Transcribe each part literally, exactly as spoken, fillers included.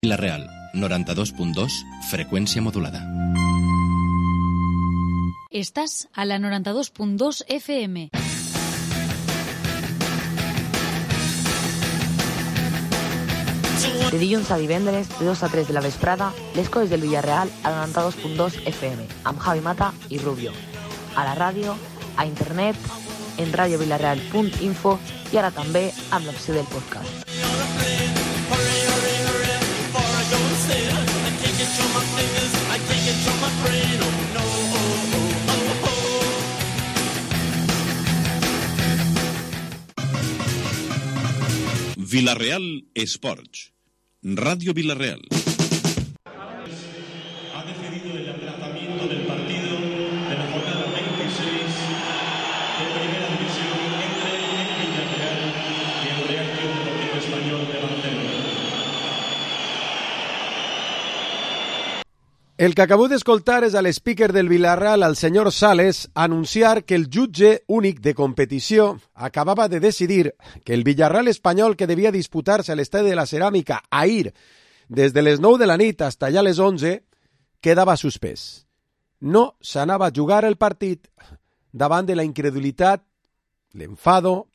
Vila-real, noranta-dos punt dos, freqüència modulada. Estàs a la noranta-dos punt dos F M. De dilluns a divendres, de dos a tres de la vesprada, les coses del Villarreal a noranta-dos punt dos F M, amb Javi Mata i Rubio. A la ràdio, a internet, en radio villarreal punt info i ara també amb l'opció del podcast. Vila-real Esports. Radio Vila-real. Ha decidido el aplazamiento del partido de la jornada veintiséis de Primera División entre el Villarreal y el Real Club Deportivo Español de Barcelona. El que acabeu d'escoltar és a l'speaker del Villarreal, el senyor Sales, anunciar que el jutge únic de competició acabava de decidir que el Villarreal espanyol, que devia disputar-se a l'Estadi de la Ceràmica ahir des de les nou de la nit fins allà a les onze, quedava suspès. No s'anava a jugar el partit davant de la incredulitat, l'enfado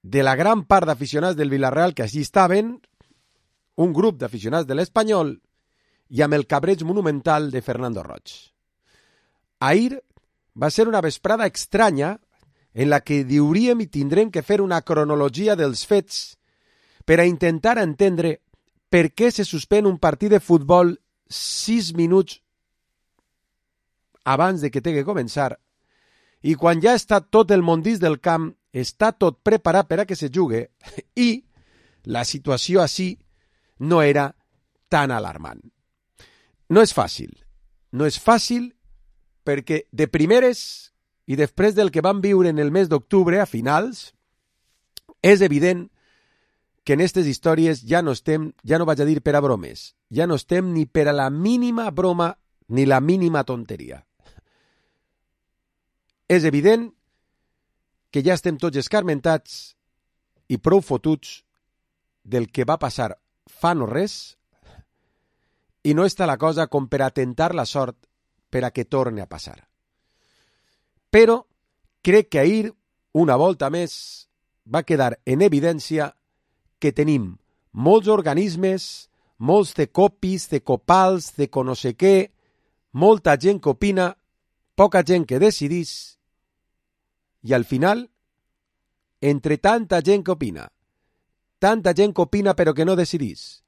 de la gran part d'aficionats del Villarreal que així estaven, un grup d'aficionats de l'Espanyol, i amb el cabreig monumental de Fernando Roig. Ahir va ser una vesprada estranya en la que diuríem i tindrem que fer una cronologia dels fets per a intentar entendre per què se suspèn un partit de futbol sis minuts abans de que té que començar i quan ja està tot el mondís del camp, està tot preparat per a que se jugue i la situació així no era tan alarmant. No és fàcil, no és fàcil perquè de primeres i després del que vam viure en el mes d'octubre a finals, és evident que en aquestes històries ja no estem, ja no vaig a dir per a bromes, ja no estem ni per a la mínima broma ni la mínima tonteria. És evident que ja estem tots escarmentats i prou fotuts del que va passar fa no res i no està la cosa com per a tentar la sort per a que torni a passar. Però crec que ahir, una volta més, va quedar en evidència que tenim molts organismes, molts cecopis, cecopals, de no sé què, molta gent que opina, poca gent que decidís, i al final, entre tanta gent que opina, tanta gent que opina però que no decidís,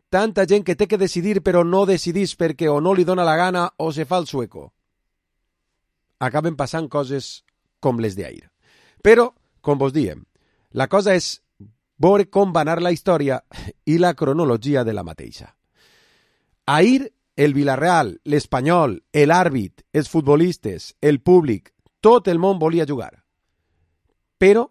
tanta gent que té que decidir però no decidís perquè o no li dona la gana o se fa el sueco. Acaben passant coses com les d'ahir. Però, com vos diem, la cosa és veure com va anar la història i la cronologia de la mateixa. Ahir, el Villarreal, l'Espanyol, l'àrbit, els futbolistes, el públic, tot el món volia jugar. Però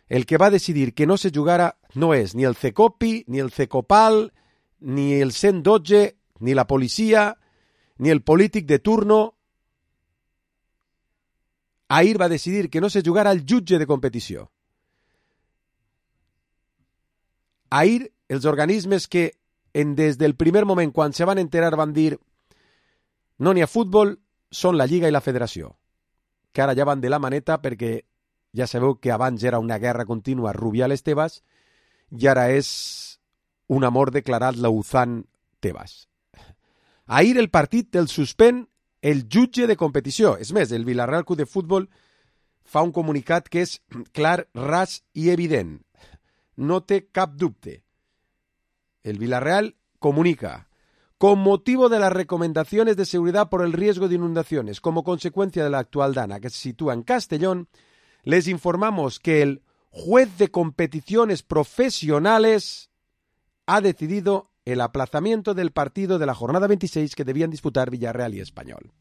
el que va decidir que no se jugara no és ni el cecopi, ni el cecopal, ni el cent dotze, ni la policia, ni el polític de turno. Ahir va decidir que no se jugara el jutge de competició. Ahir, els organismes que en, des del primer moment, quan se van enterar, van dir no n'hi ha futbol, són la Lliga i la Federació, que ara ja van de la maneta perquè ja sabeu que abans era una guerra contínua Rubial-Tebas i ara és un amor declarat Lauzán-Tebas. Ahir el partit el suspèn el jutge de competició. És més, el Villarreal Club de Futbol fa un comunicat que és clar, ras i evident. No té cap dubte. El Villarreal comunica: con motivo de las recomendaciones de seguridad por el riesgo de inundaciones como consecuencia de la actual dana que se sitúa en Castellón, les informamos que el juez de competiciones profesionales ha decidido el aplazamiento del partido de la jornada veintiséis que debían disputar Villarreal i Espanyol.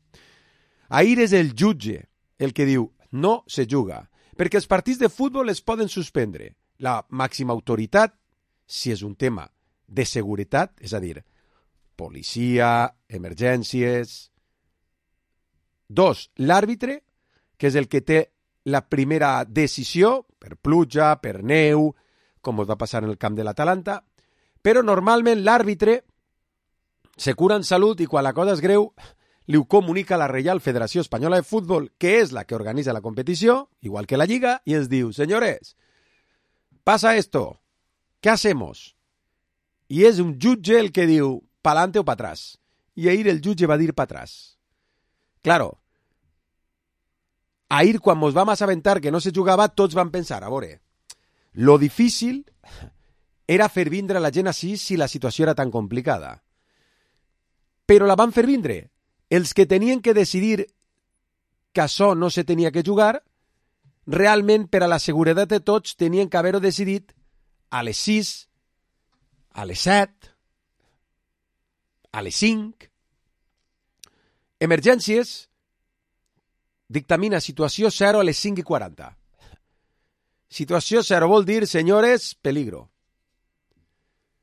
Ahir és el jutge el que diu no se juga, perquè els partits de futbol es poden suspendre. La màxima autoritat, si és un tema de seguretat, és a dir, policia, emergències. Dos, l'àrbitre, que és el que té la primera decisió, per pluja, per neu, com va passar en el camp de l'Atalanta, Però normalment l'àrbitre se cura en salut i quan la cosa és greu li ho comunica a la Reial Federació Espanyola de Fútbol, que és la que organitza la competició, igual que la Lliga, i ens diu, señores, pasa esto, ¿qué hacemos? I és un jutge el que diu, pa'lante o pa atrás. I ahir el jutge va dir pa atrás. Claro, ahir quan mos vam assabentar que no se jugava, tots vam pensar, a veure, lo difícil era fer vindre la gent així si la situació era tan complicada. Però la van fer vindre. Els que tenien que decidir que això no se tenia que jugar, realment, per a la seguretat de tots, tenien que haver-ho decidit a les sis, a les set, a les cinc. Emergències dictamina situació zero a les cinc i quaranta. Situació zero vol dir, senyores, peligro.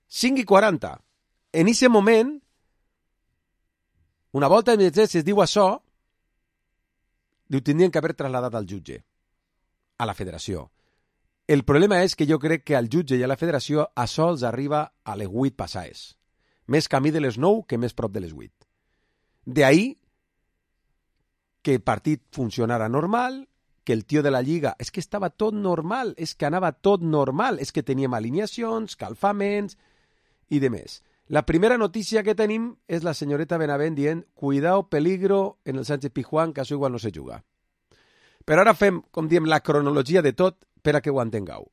cinc i quaranta. En aquest moment, una volta d'emergències diu això, diu, tindrien que haver trasladat al jutge, a la federació. El problema és que jo crec que al jutge i a la federació això els arriba a les vuit passades. Més camí de les nou que més prop de les vuit. D'ahí que el partit funcionara normal, que el tio de la Lliga... És que estava tot normal, és que anava tot normal, és que teníem alineacions, calfaments i de més. La primera notícia que tenim és la senyoreta Benavent dient cuidao, peligro en el Sánchez Pizjuán, que això igual no se juga. Però ara fem, com diem, la cronologia de tot per a que ho entengueu.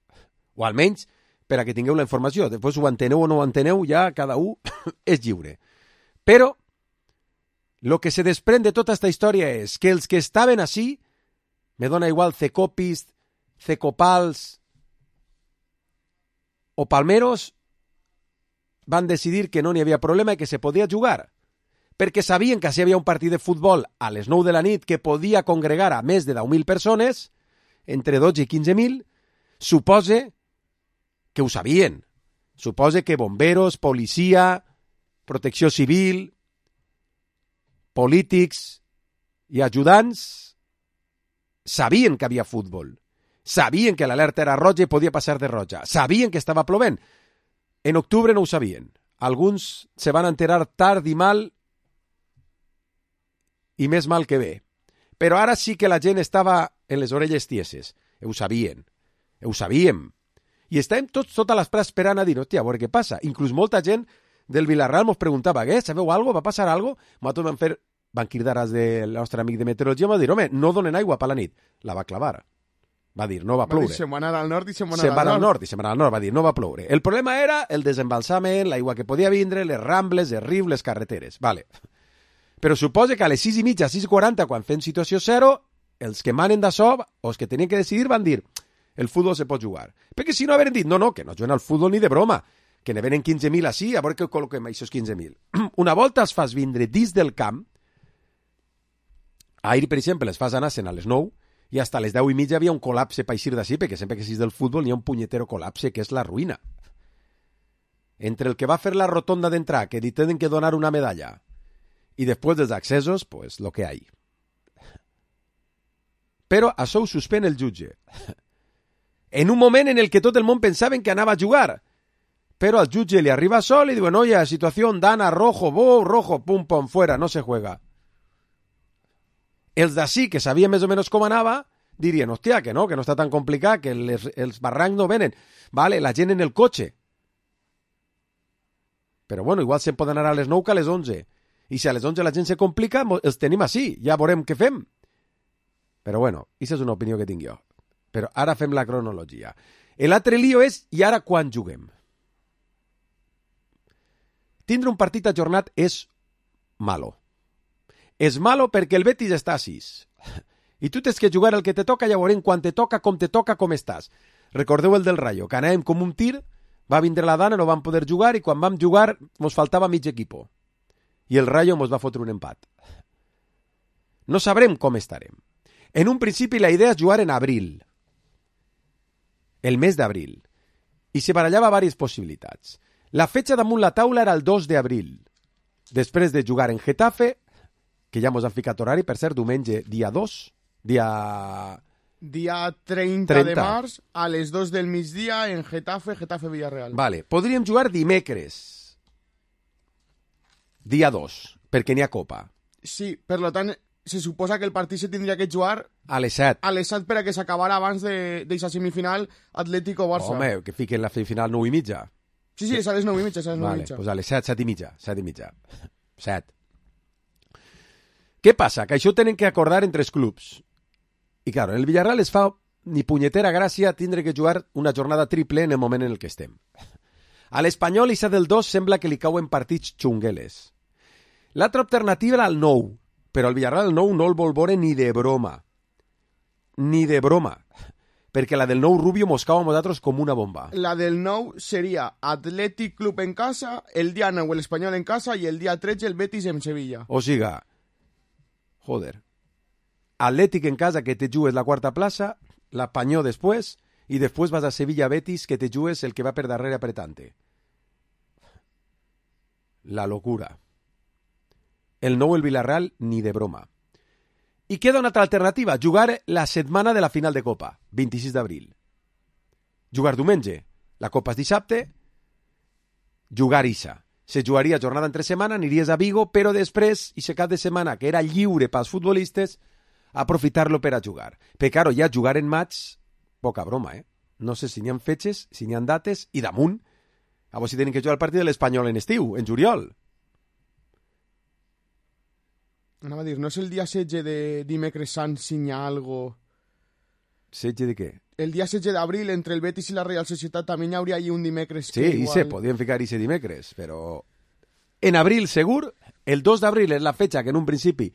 O almenys per a que tingueu la informació. Després ho enteneu o no ho enteneu, ja cada un és lliure. Però lo que se desprèn de tota aquesta història és que els que estaven així, me dona igual Cecopis, Cecopals o Palmeros, van decidir que no n'hi havia problema i que se podia jugar, perquè sabien que si hi havia un partit de futbol a les nou de la nit que podia congregar a més de deu mil persones, entre dotze i quinze mil, supose que ho sabien. Supose que bomberos, policia, protecció civil, polítics i ajudants sabien que havia futbol. Sabien que l'alerta era roja i podia passar de roja. Sabien que estava plovent. En octubre no ho sabien. Alguns se van enterar tard i mal i més mal que bé. Però ara sí que la gent estava en les orelles tieses. Ho sabien. Ho sabíem. I estàvem tots tota l'esprà esperant a dir, hòstia, a veure què passa. Inclús molta gent del Villarreal mos preguntava, què, sabeu algo? Va passar algo? Nosaltres vam fer, van cridar del nostre amic de meteorologia, va dir, home, no donen aigua per la nit. La va clavar. Va dir, no va ploure. Se'n va anar al nord i se'n va anar se'n va al al nord. nord i se'n va anar al nord. Va dir, no va ploure. El problema era el desembalsament, l'aigua que podia vindre, les rambles, els rius, les carreteres. Vale. Però suposa que a les sis i mitja, sis i quaranta, quan fem situació zero, els que manen d'això, o els que tenien que decidir, van dir, el futbol se pot jugar. Perquè si no haveren dit, no, no, que no juguen al futbol ni de broma, que ne venen quinze mil així, a veure que col·loquem aquests quinze mil. Una volta es fas vindre dins del camp, ahir, per exemple, les fas anar-se'n a les nou, i hasta les deu i mitja havia un col·lapse per eixir d'ací, perquè sempre que sis del futbol hi ha un punyetero col·lapse que és la ruïna. Entre el que va fer la rotonda d'entrar, que li tenen que donar una medalla, i després dels accessos, pues lo que hay. Però això ho suspèn el jutge. En un moment en el que tot el món pensaven que anava a jugar. Però al jutge li arriba sol i diuen, oye, situació dana, rojo, bo, rojo, pum, pum, fuera, no se juega. Els d'ací, que sabien més o menys com anava, dirien, hòstia, que no, que no està tan complicat, que les, els barrancs no venen. Vale, la gent en el cotxe. Però bueno, igual se'n poden anar a les nou que a les onze. I si a les onze la gent se complica, els tenim així, ja veurem què fem. Però bueno, aquesta és una opinió que tinc jo. Però ara fem la cronologia. L'altre lío és, i ara quan juguem? Tindre un partit ajornat és malo. És malo perquè el Betis està a sis. I tu tens que jugar el que te toca, ja veurem quan te toca, com te toca, com estàs. Recordeu el del Rayo, que anàvem com un tir, va vindre la dana, no vam poder jugar, i quan vam jugar mos faltava mig equipo. I el Rayo mos va fotre un empat. No sabrem com estarem. En un principi la idea és jugar en abril. El mes d'abril. I se barallava diverses possibilitats. La fetxa damunt la taula era el dos d'abril. Després de jugar en Getafe, que ja mos han ficat horari, per cert, diumenge, dia dos, dia... Dia trenta, trenta de març, a les dos del migdia, en Getafe, Getafe-Villarreal. Vale, podríem jugar dimecres. Dia dos, perquè n'hi ha Copa. Sí, per tant, se suposa que el partit se tindria que jugar A les set. a les set per a que s'acabara abans d'aquesta semifinal Atlético-Barça. Home, que fiquen la semifinal nou i mitja. Sí, sí, és a les nou i mitja, és a les nou i Vale, mitja. pues a les set, set i mitja. Set i mitja. Set. Què passa? Que això ho tenen que acordar entre els clubs. I, claro, en el Villarreal es fa ni punyetera gràcia tindre que jugar una jornada triple en el moment en el que estem. A l'Espanyol i del dos sembla que li cauen partits xungueles. L'altra alternativa era el nou, però el Villarreal el nou no el vol veure ni de broma. Ni de broma. Perquè la del nou Rubio mos cau a nosaltres com una bomba. La del nou seria Athletic Club en casa, el dia nou el Espanyol en casa i el dia tretze el Betis en Sevilla. O siga, joder, Atlètic en casa que te jugues la quarta plaça, la Panyó després, i després vas a Sevilla-Betis que te jugues el que va per darrere apretante. La locura. El nou el Villarreal ni de broma. I queda una altra alternativa, jugar la setmana de la final de Copa, vint-i-sis d'abril. Jugar diumenge, la Copa és dissabte, jugar Issa. Se jugaria jornada entre setmana, aniries a Vigo, però després, i se cap de setmana, que era lliure pels futbolistes, aprofitar-lo per a jugar. Però, claro, ja jugar en maig, poca broma, eh? No sé si n'hi ha fetges, si n'hi ha dates, i damunt, a vos si tenen que jugar el partit de l'Espanyol en estiu, en juliol. Anava a dir, no és el dia setze de dimecres sant si n'hi ha algo... Setge de què? El dia setze d'abril, entre el Betis i la Real Societat, també hi hauria allí un dimecres. Sí, que i igual... se podien ficar ese dimecres, però... En abril, segur, el dos d'abril és la fetxa que en un principi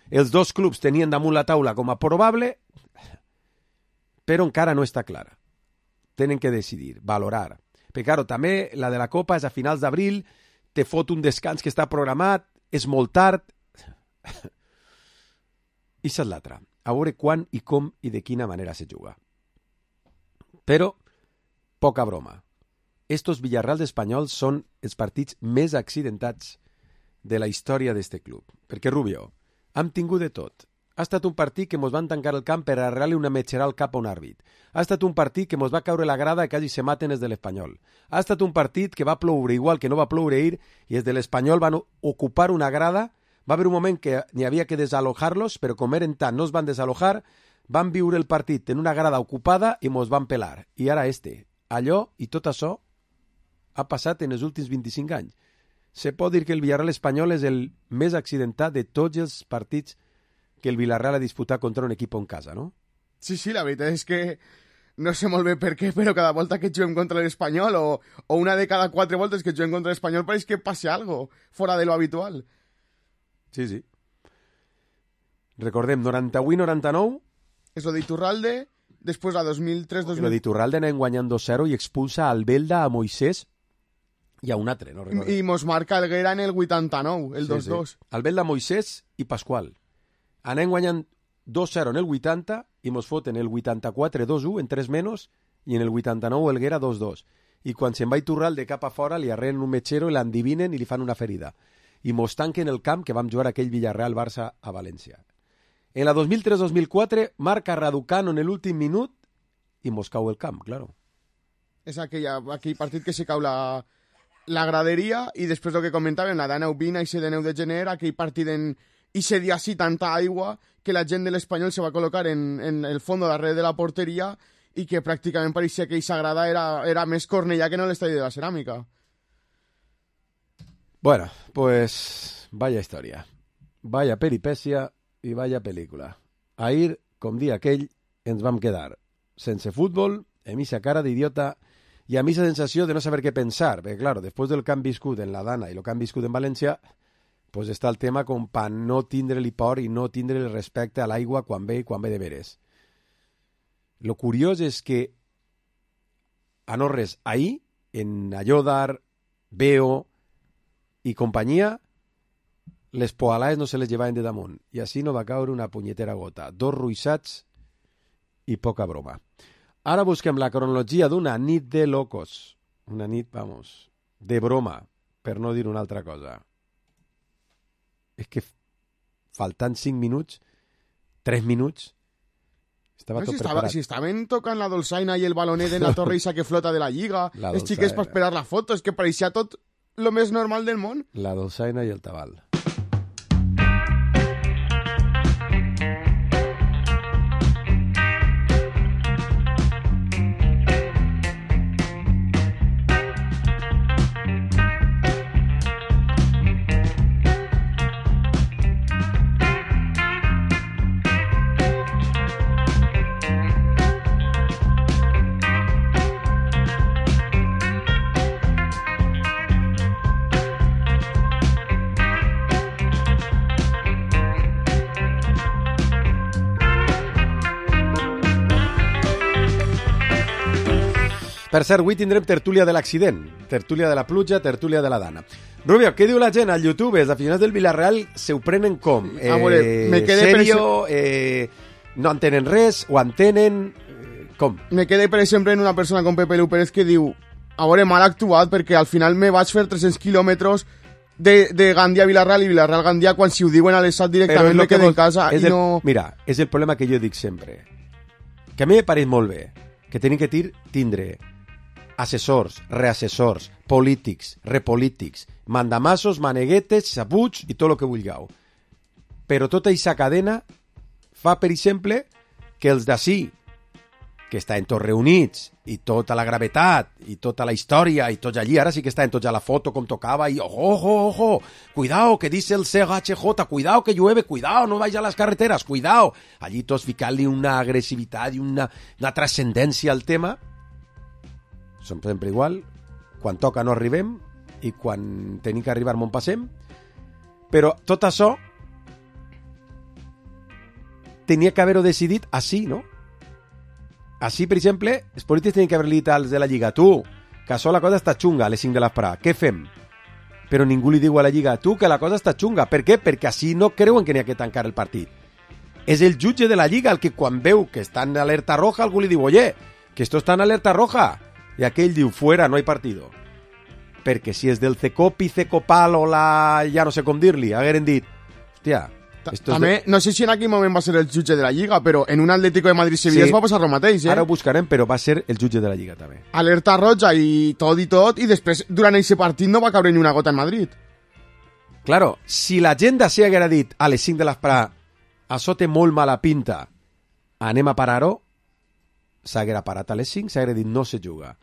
els dos clubs tenien damunt la taula com a probable, però encara no està clara. Tenen que decidir, valorar. Però, claro, també la de la Copa és a finals d'abril, te fot un descans que està programat, és molt tard... I és l'altra. A veure quan i com i de quina manera se juga. Però, poca broma. Estos Villarreals espanyols són els partits més accidentats de la història d'este club. Perquè, Rubio, hem tingut de tot. Ha estat un partit que mos van tancar el camp per arrelar-li una metxera al cap a un àrbit. Ha estat un partit que mos va caure la grada i quasi se maten els de l'Espanyol. Ha estat un partit que va ploure igual que no va ploure ahir i els de l'Espanyol van ocupar una grada. Va haver un moment que n'hi havia que desalojar-los, però com eren tant no es van desalojar, van viure el partit en una grada ocupada i mos van pelar. I ara este. Allò i tot això ha passat en els últims vint-i-cinc anys. Se pot dir que el Villarreal espanyol és el més accidentat de tots els partits que el Villarreal ha disputat contra un equip en casa, no? Sí, sí, la veritat és que no sé molt bé per què, però cada volta que juguem contra l'Espanyol o, o una de cada quatre voltes que juguem contra l'Espanyol pareix que passi algo fora de lo habitual. Sí, sí. Recordem, noranta-vuit noranta-nou. És lo d'Iturralde, després la dos mil tres dos mil... Lo d'Iturralde anem guanyant dos zero i expulsa a Albelda, a Moisés i a un altre, no recordo. I mos marca el Guera en el vuitanta-nou, el dos dos. Sí, sí. Albelda, Moisés i Pasqual. Anem guanyant dos zero en el vuitanta i mos foten el vuitanta-quatre dos u en tres menys i en el vuitanta-nou el Guera dos dos. I quan se'n va Iturralde cap a fora li arreen un metxero i l'endivinen i li fan una ferida. I mos tanquen el camp que vam jugar aquell Villarreal-Barça a València. En la dos mil tres dos mil quatre marca Raducano en l'últim minut i mos cau el camp, claro. És aquella, aquell partit que se cau la, la graderia i després el que comentàvem, la de neu vint i de neu de gener, aquell partit en ixe dia sí tanta aigua que la gent de l'Espanyol se va col·locar en, en el fons darrere de la porteria i que pràcticament pareixia que aquesta grada era, era més Cornellà que no l'estadi de la Ceràmica. Bueno, pues vaya historia, vaya peripècia i vaya pel·lícula. Ahir, com dia aquell, ens vam quedar sense futbol, amb aquesta cara d'idiota i amb aquesta sensació de no saber què pensar, perquè, claro, després del que han viscut en la Dana i el que han viscut en València, pues està el tema com per no tindre-li por i no tindre el respecte a l'aigua quan ve i quan ve de veres. Lo curiós és que a no res, ahir, en Ayodar, Veo i companyia, les poalaes no se les llevaven de damunt i així no va caure una punyetera gota. Dos ruixats i poca broma. Ara busquem la cronologia d'una nit de locos. Una nit, vamos, de broma, per no dir una altra cosa. És que faltant cinc minuts, tres minuts, Estava no, tot si, estava, preparat. si estaven tocant la dolçaina i el balonet en la torre isa que flota de la lliga, La els xiquets dolçaina. per esperar la foto, és que pareixia tot lo més normal del món. La dolçaina i el tabal. Per cert, avui tindrem tertúlia de l'accident, tertúlia de la pluja, tertúlia de la dana. Rubio, què diu la gent al YouTube? Els aficionats del Villarreal se ho prenen com? Eh, A veure, me quedé serio, eh, no entenen res, o entenen... Eh, com? Me quedé, per exemple, en una persona com Pepe Lu Pérez que diu a veure, mal actuat, perquè al final me vaig fer tres-cents quilòmetres de, de Gandia a Villarreal i Villarreal a Gandia quan si ho diuen a l'Estat directament me quedé en casa i el, no... Mira, és el problema que jo dic sempre. Que a mi me pareix molt bé que tenim que tir, tindre assessors, reassessors, polítics, repolítics, mandamassos, maneguetes, sabuts i tot el que vulgueu. Però tota aquesta cadena fa, per exemple, que els d'ací, que estan tots reunits, i tota la gravetat, i tota la història, i tots allí, ara sí que estan tots a la foto com tocava, i ojo, ojo, ojo, cuidao, que dice el C H J, cuidao que llueve, cuidao, no vaya a las carreteras, cuidao. Allí tots ficant-li una agressivitat i una, una transcendència al tema. Som sempre igual, quan toca no arribem i quan tenim que arribar m'on passem, però tot això tenia que haver-ho decidit així, no? Així, per exemple, els polítics tenien que haver-li dit als de la Lliga, tu, que això la cosa està xunga a les cinc de l'esprà, què fem? Però ningú li diu a la Lliga, tu, que la cosa està xunga, per què? Perquè així no creuen que n'hi ha que tancar el partit. És el jutge de la Lliga el que quan veu que està en alerta roja algú li diu, oye, que esto está en alerta roja. I aquell diu, fuera, no hay partido. Perquè si és del Cecopi, Cecopal o la... ja no sé com dir-li, hagueren dit, hòstia... També, de... no sé si en aquell moment va ser el jutge de la Lliga, però en un Atlético de Madrid-Sevilla sí, es va passar el mateix, eh? Ara ho buscarem, però va ser el jutge de la Lliga, també. Alerta roja i tot i tot, i després, durant aquest partit, no va caure ni una gota en Madrid. Claro, si la gent d'ací haguera dit a les cinc de l'esprà, això té molt mala pinta, anem a parar-ho, s'haguera parat a les cinc, s'haguera dit no se juga.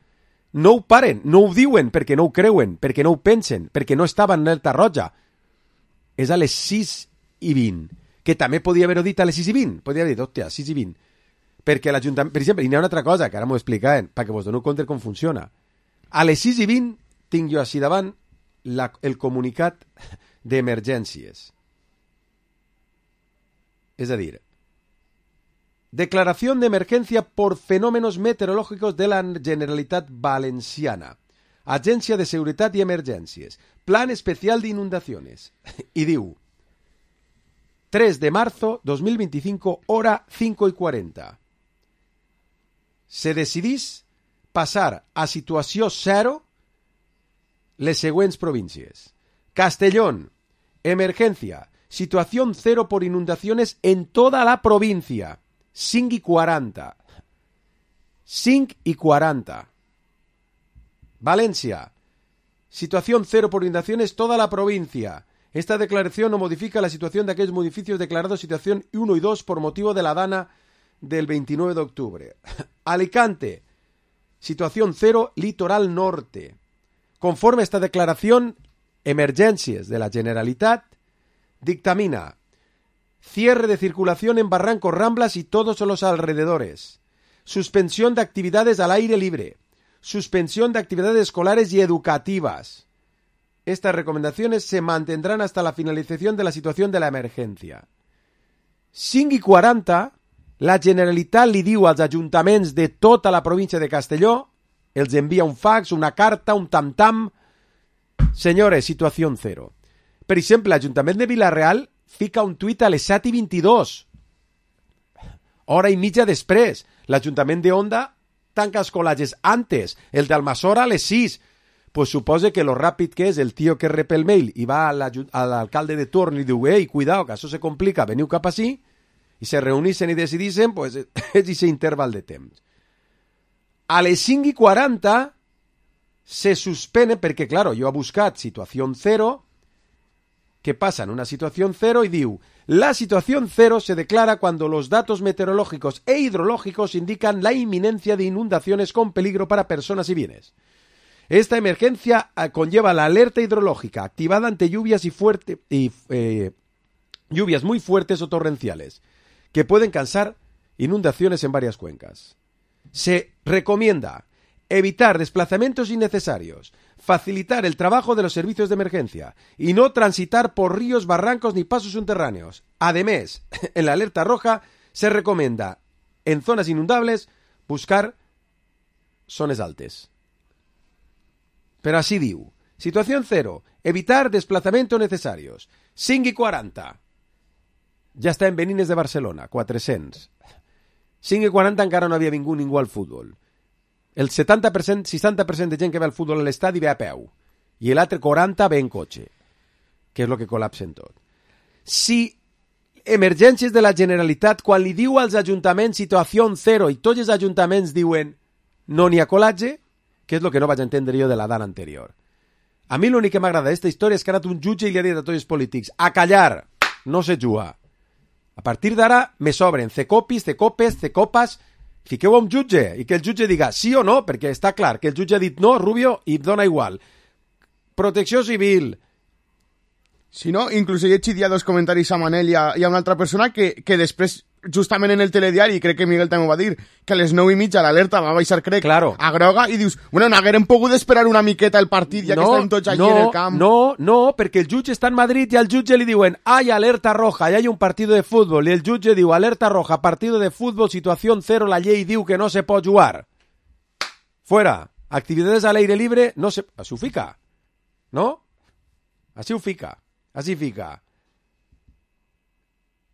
No ho paren, no ho diuen perquè no ho creuen, perquè no ho pensen, perquè no estaven en alerta roja. És a les sis i vint, que també podia haver-ho dit a les sis i vint, podia haver dit, hòstia, sis i vint. Perquè l'Ajuntament, per exemple, hi ha una altra cosa, que ara m'ho explicarem, perquè vos dono compte com funciona. A les sis i vint tinc jo així davant la, el comunicat d'emergències. És a dir, declaración de emergencia por fenómenos meteorológicos de la Generalitat Valenciana. Agencia de Seguridad y Emergencias. Plan especial de inundaciones. Y diu, tres de marzo dos mil veinticinco, hora cinco y cuarenta. Se decidís passar a situació zero les següents províncies. Castellón, emergencia, situación cero por inundaciones en toda la provincia. cinc i quaranta. cinc i quaranta. Valencia. Situación cero por inundaciones toda la provincia. Esta declaración no modifica la situación de aquellos municipios declarados situación uno y dos por motivo de la dana del veintinueve de octubre. Alicante. Situación cero, litoral norte. Conforme a esta declaración, emergencias de la Generalitat dictamina cierre de circulación en Barrancos, Ramblas y todos los alrededores. Suspensión de actividades al aire libre. Suspensión de actividades escolares y educativas. Estas recomendaciones se mantendrán hasta la finalización de la situación de la emergencia. cinc i quaranta, la Generalitat li diu als ajuntaments de tota la província de Castelló, els envia un fax, una carta, un tam-tam. Senyores, situació cero. Per exemple, l'Ajuntament de Villarreal fica un tuit a les set i vint-i-dos. Hora i mitja després. L'Ajuntament de Onda tanca els col·lages antes. El d'Almassora a les sis. Pues suposa que lo ràpid que és el tio que rep el mail i va a l'alcalde de torn i diu, ei, cuidao, que això se complica, veniu cap així. i se reunissen i decidissin, pues, és aquest interval de temps. A les cinc i quaranta se suspene, perquè, claro, jo he buscat situació cero, ¿qué pasa en una situación cero? Y diu, la situación cero se declara cuando los datos meteorológicos e hidrológicos indican la inminencia de inundaciones con peligro para personas y bienes. Esta emergencia conlleva la alerta hidrológica activada ante lluvias y fuerte, y, eh, lluvias muy fuertes o torrenciales, que pueden causar inundaciones en varias cuencas. Se recomienda evitar desplazamientos innecesarios, facilitar el trabajo de los servicios de emergencia y no transitar por ríos, barrancos ni pasos subterráneos. Además, en la alerta roja se recomienda, en zonas inundables, buscar zonas altas. Pero así diu. Situación cero. Evitar desplazamientos necesarios. cinc i quaranta. Ja està en Benines de Barcelona, quatre-cents. cinc i quaranta encara no havia vingut ningú al futbol. El setanta per cent, seixanta per cent de gent que ve al futbol a l'estadi ve a peu. I l'altre quaranta ve en cotxe, que és el que col·lapsen tot. Si emergències de la Generalitat, quan li diu als ajuntaments situació zero i tots els ajuntaments diuen no n'hi ha colatge, que és el que no vaig entendre jo de la dana anterior. A mi l'únic que m'agrada d'aquesta història és que ha anat un jutge i li ha dit a tots els polítics a callar, no se juga. A partir d'ara me sobren cecopis, cecopes, cecopas, fiqueu a un jutge i que el jutge diga sí o no, perquè està clar que el jutge ha dit no, Rubio, i dona igual. Protecció civil. Si no, inclús he llegit ja dos comentaris a Manel i a, i a una altra persona que, que després, justament en el telediari, crec que Miguel també ho va dir, que a les nou i mitja l'alerta va baixar, crec, claro, a groga, i dius, bueno, no haguérem pogut esperar una miqueta el partit, ja no, que estem tots allí no, en el camp. No, no, perquè el jutge està en Madrid i al jutge li diuen hay alerta roja, y hay un partido de fútbol, i el jutge diu alerta roja, partido de fútbol, situación cero, la llei diu que no se pot jugar. Fuera. Actividades al aire libre, no se... Així ho fica, no? Així ho fica. Así fica.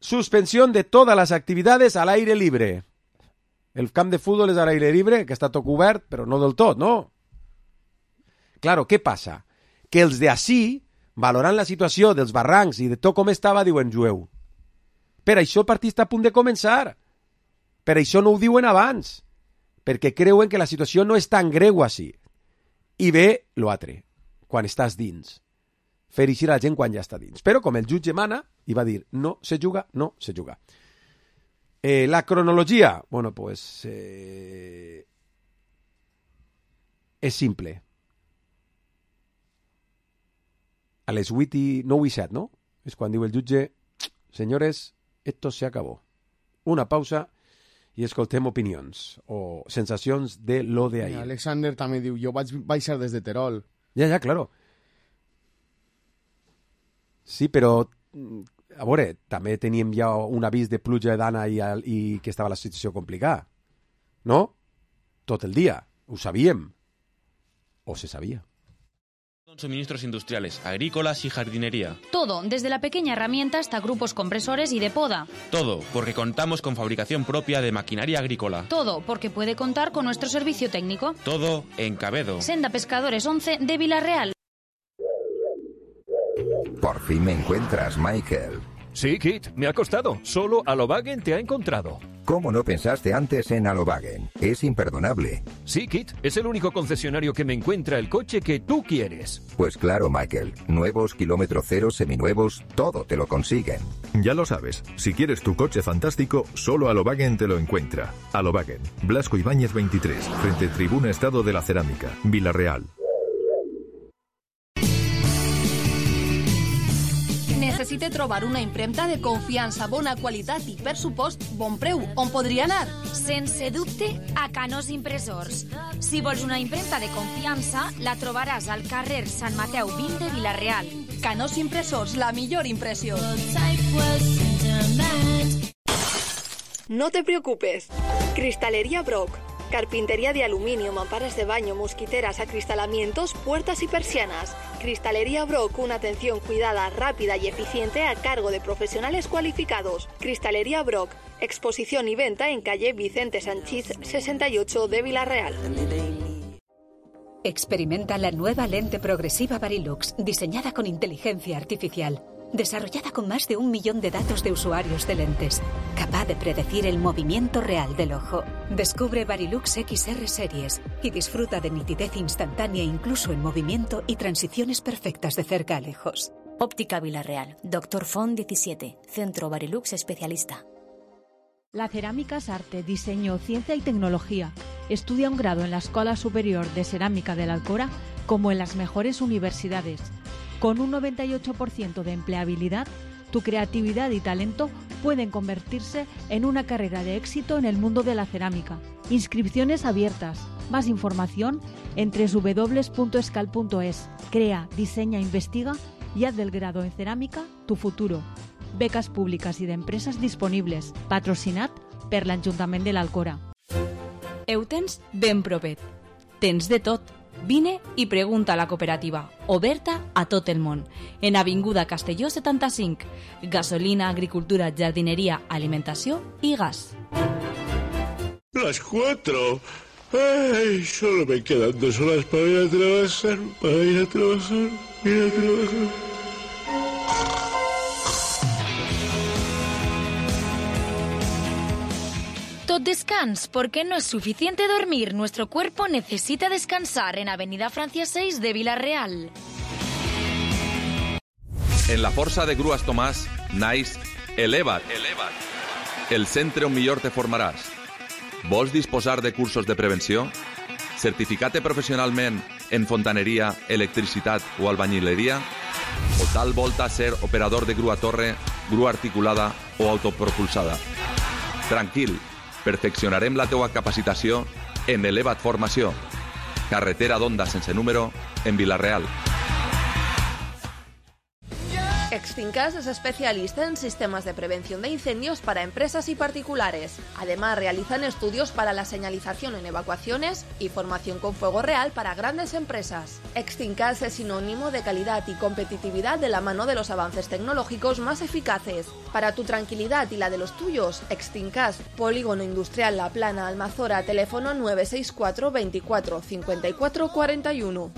Suspensión de todas las actividades al aire libre. El camp de fútbol és al aire libre, que està tot cobert, però no del tot, no? Claro, què passa? Que els d'ací, valorant la situació dels barrancs i de tot com estava, diuen jueu. Per això el partit està a punt de començar. Per això no ho diuen abans. Perquè creuen que la situació no és tan greu així. I ve l'altre, quan estàs dins. Fer eixir a la gent quan ja està dins. Però com el jutge mana, i va dir, no se juga, no se juga. Eh, la cronologia, bueno, pues, eh, és simple. A les vuit i nou i set, no? És quan diu el jutge, senyores, esto se acabó. Una pausa i escoltem opinions o sensacions de lo de ahir. Alexander també diu, jo vaig baixar des de Terol. Ja, ja, claro. Sí, però, a veure, també teníem ja un avís de pluja d'Anna i, i que estava la situació complicada. ¿No? Tot el dia. Ho sabíem. O se sabía. Suministros industriales, agrícolas y jardinería. Todo, desde la pequeña herramienta hasta grupos compresores y de poda. Todo, porque contamos con fabricación propia de maquinaria agrícola. Todo, porque puede contar con nuestro servicio técnico. Todo en Cabedo. Senda Pescadores once de Villarreal. Por fin me encuentras, Michael. Sí, Kit, me ha costado. Solo Alobagen te ha encontrado. ¿Cómo no pensaste antes en Alobagen? Es imperdonable. Sí, Kit, es el único concesionario que me encuentra el coche que tú quieres. Pues claro, Michael. Nuevos, kilómetro cero, seminuevos, todo te lo consiguen. Ya lo sabes. Si quieres tu coche fantástico, solo Alobagen te lo encuentra. Alobagen, Blasco Ibáñez veintitrés, frente Tribuna Estado de la Cerámica, Villarreal. Necessite trobar una impremta de confiança, bona qualitat i, per supost, bon preu. On podria anar? Sense dubte, a Canós Impressors. Si vols una impremta de confiança, la trobaràs al carrer Sant Mateu vint de Villarreal. Canós Impressors, la millor impressió. No te preocupes. Cristalería Brock. Carpintería de aluminio, mamparas de baño, mosquiteras, acristalamientos, puertas y persianas. Cristalería Brock, una atención cuidada, rápida y eficiente a cargo de profesionales cualificados. Cristalería Brock, exposición y venta en calle Vicente Sanchís sesenta y ocho de Villarreal. Experimenta la nueva lente progresiva Varilux, diseñada con inteligencia artificial, desarrollada con más de un millón de datos de usuarios de lentes. capaz de predecir el movimiento real del ojo. Descubre Varilux X R Series y disfruta de nitidez instantánea incluso en movimiento y transiciones perfectas de cerca a lejos. Óptica Villarreal. Doctor Font diecisiete. Centro Varilux Especialista. La cerámica es arte, diseño, ciencia y tecnología. Estudia un grado en la Escuela Superior de Cerámica de la Alcora como en las mejores universidades. Con un noventa y ocho por ciento de empleabilidad, tu creatividad y talento pueden convertirse en una carrera de éxito en el mundo de la cerámica. Inscripciones abiertas. Más información en doble u doble u doble u punto escal punto es. Crea, diseña, investiga y haz del grado en cerámica tu futuro. Becas públiques i d'empreses disponibles. Patrocinat per l'Ajuntament de l'Alcora. Ho tens ben propet. Tens de tot. Vine i pregunta a la cooperativa, oberta a tot el món. En Avinguda Castelló setanta-cinc. Gasolina, agricultura, jardineria, alimentació i gas. Las cuatro. Ay, solo me quedan dos horas para ir a trabajar, para ir a trabajar, ir a trabajar. Tot descans, porque no es suficiente dormir. Nuestro cuerpo necesita descansar en Avenida Francia seis de Villarreal. En la Força de Grues Tomàs naix Eleva't, Eleva't, el centre on millor te formaràs. Vols disposar de cursos de prevenció? Certificat-te professionalment en fontaneria, electricitat o albañileria? O tal volta ser operador de grua torre, grua articulada o autopropulsada? Tranquil, perfeccionarem la teua capacitació en Eleva't Formació. Carretera d'Onda sense número, en Villarreal. Extincas es especialista en sistemas de prevención de incendios para empresas y particulares. Además, realizan estudios para la señalización en evacuaciones y formación con fuego real para grandes empresas. Extincas es sinónimo de calidad y competitividad de la mano de los avances tecnológicos más eficaces. Para tu tranquilidad y la de los tuyos, Extincas, Polígono Industrial La Plana, Almazora, teléfono nueve seis cuatro veinticuatro cincuenta y cuatro cuarenta y uno.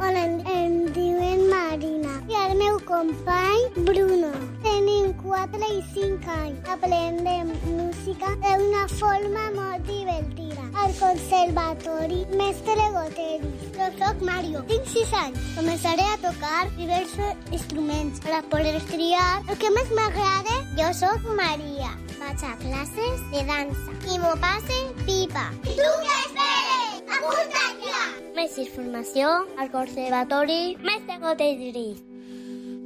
Hola, em diuen Marina i el meu company Bruno. Tenim quatre i cinc anys. Aprendem música d'una forma molt divertida. Al conservatori Mestre Goteris. Jo soc Mario, tinc sis anys. Començaré a tocar diversos instruments per a poder triar el que més m'agrada. Jo soc Maria. Vaig a classes de dansa i m'ho passe pipa. I tu què esperes? Apunta't ja! Més informació al conservatori Mestre Goteris.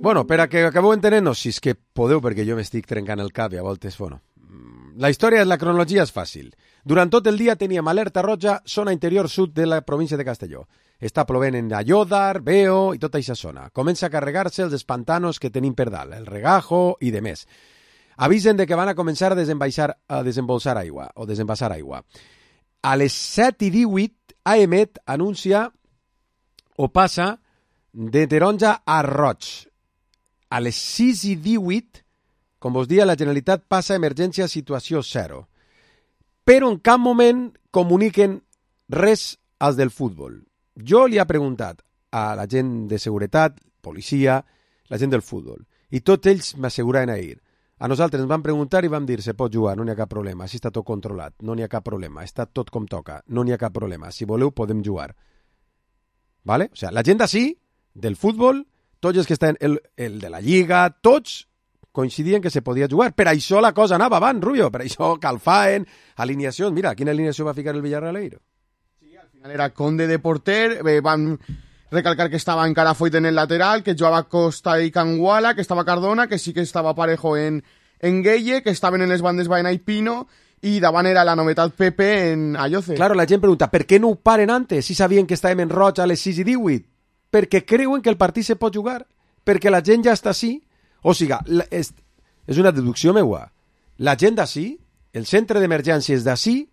Bueno, per a que acabeu entenent-nos, si és que podeu, perquè jo m'estic trencant el cap i a voltes, bueno... La història, la cronologia és fàcil. Durant tot el dia teníem alerta roja, zona interior sud de la província de Castelló. Està plovent en Ayodar, Veo i tota aquesta zona. Comença a carregar-se els espantanos que tenim per dalt, el regajo i de més. Avisen de que van a començar a, a desembolsar aigua, o desembassar aigua. A les set i divuit, AEMET anuncia o passa de taronja a roig. A les sis i divuit, com vos dia, la Generalitat passa a emergència a situació zero. Però en cap moment comuniquen res als del futbol. Jo li he preguntat a la gent de seguretat, policia, la gent del futbol, i tots ells m'asseguraven ahir. A nosaltres ens van preguntar i vam dir, se pot jugar, no n'hi ha cap problema, si està tot controlat, no n'hi ha cap problema, està tot com toca, no n'hi ha cap problema, si voleu podem jugar. ¿Vale? O sea, la gent d'ací, del futbol, tots els que estan, el, el de la Lliga, tots coincidien que se podia jugar. Per això la cosa anava avant, Rubio, per això calfaen, alineacions. Mira, quina alineació va ficar el Villarreal? Sí, al final era Conde de porter, eh, van recalcar que estava encara Foyt en el lateral, que jugava Costa i Canguala, que estava Cardona, que sí que estava Parejo en, en Gueye, que estaven en les bandes Baena i Pino, i davant era la novetat Pepe en Ayoce. Claro, la gent pregunta, per què no ho paren antes, si sabien que estàvem en roig a les sis i divuit? Perquè creuen que el partit se pot jugar, perquè la gent ja està així. O sigui, és, és una deducció meua. La gent d'ací, el centre d'emergències d'ací,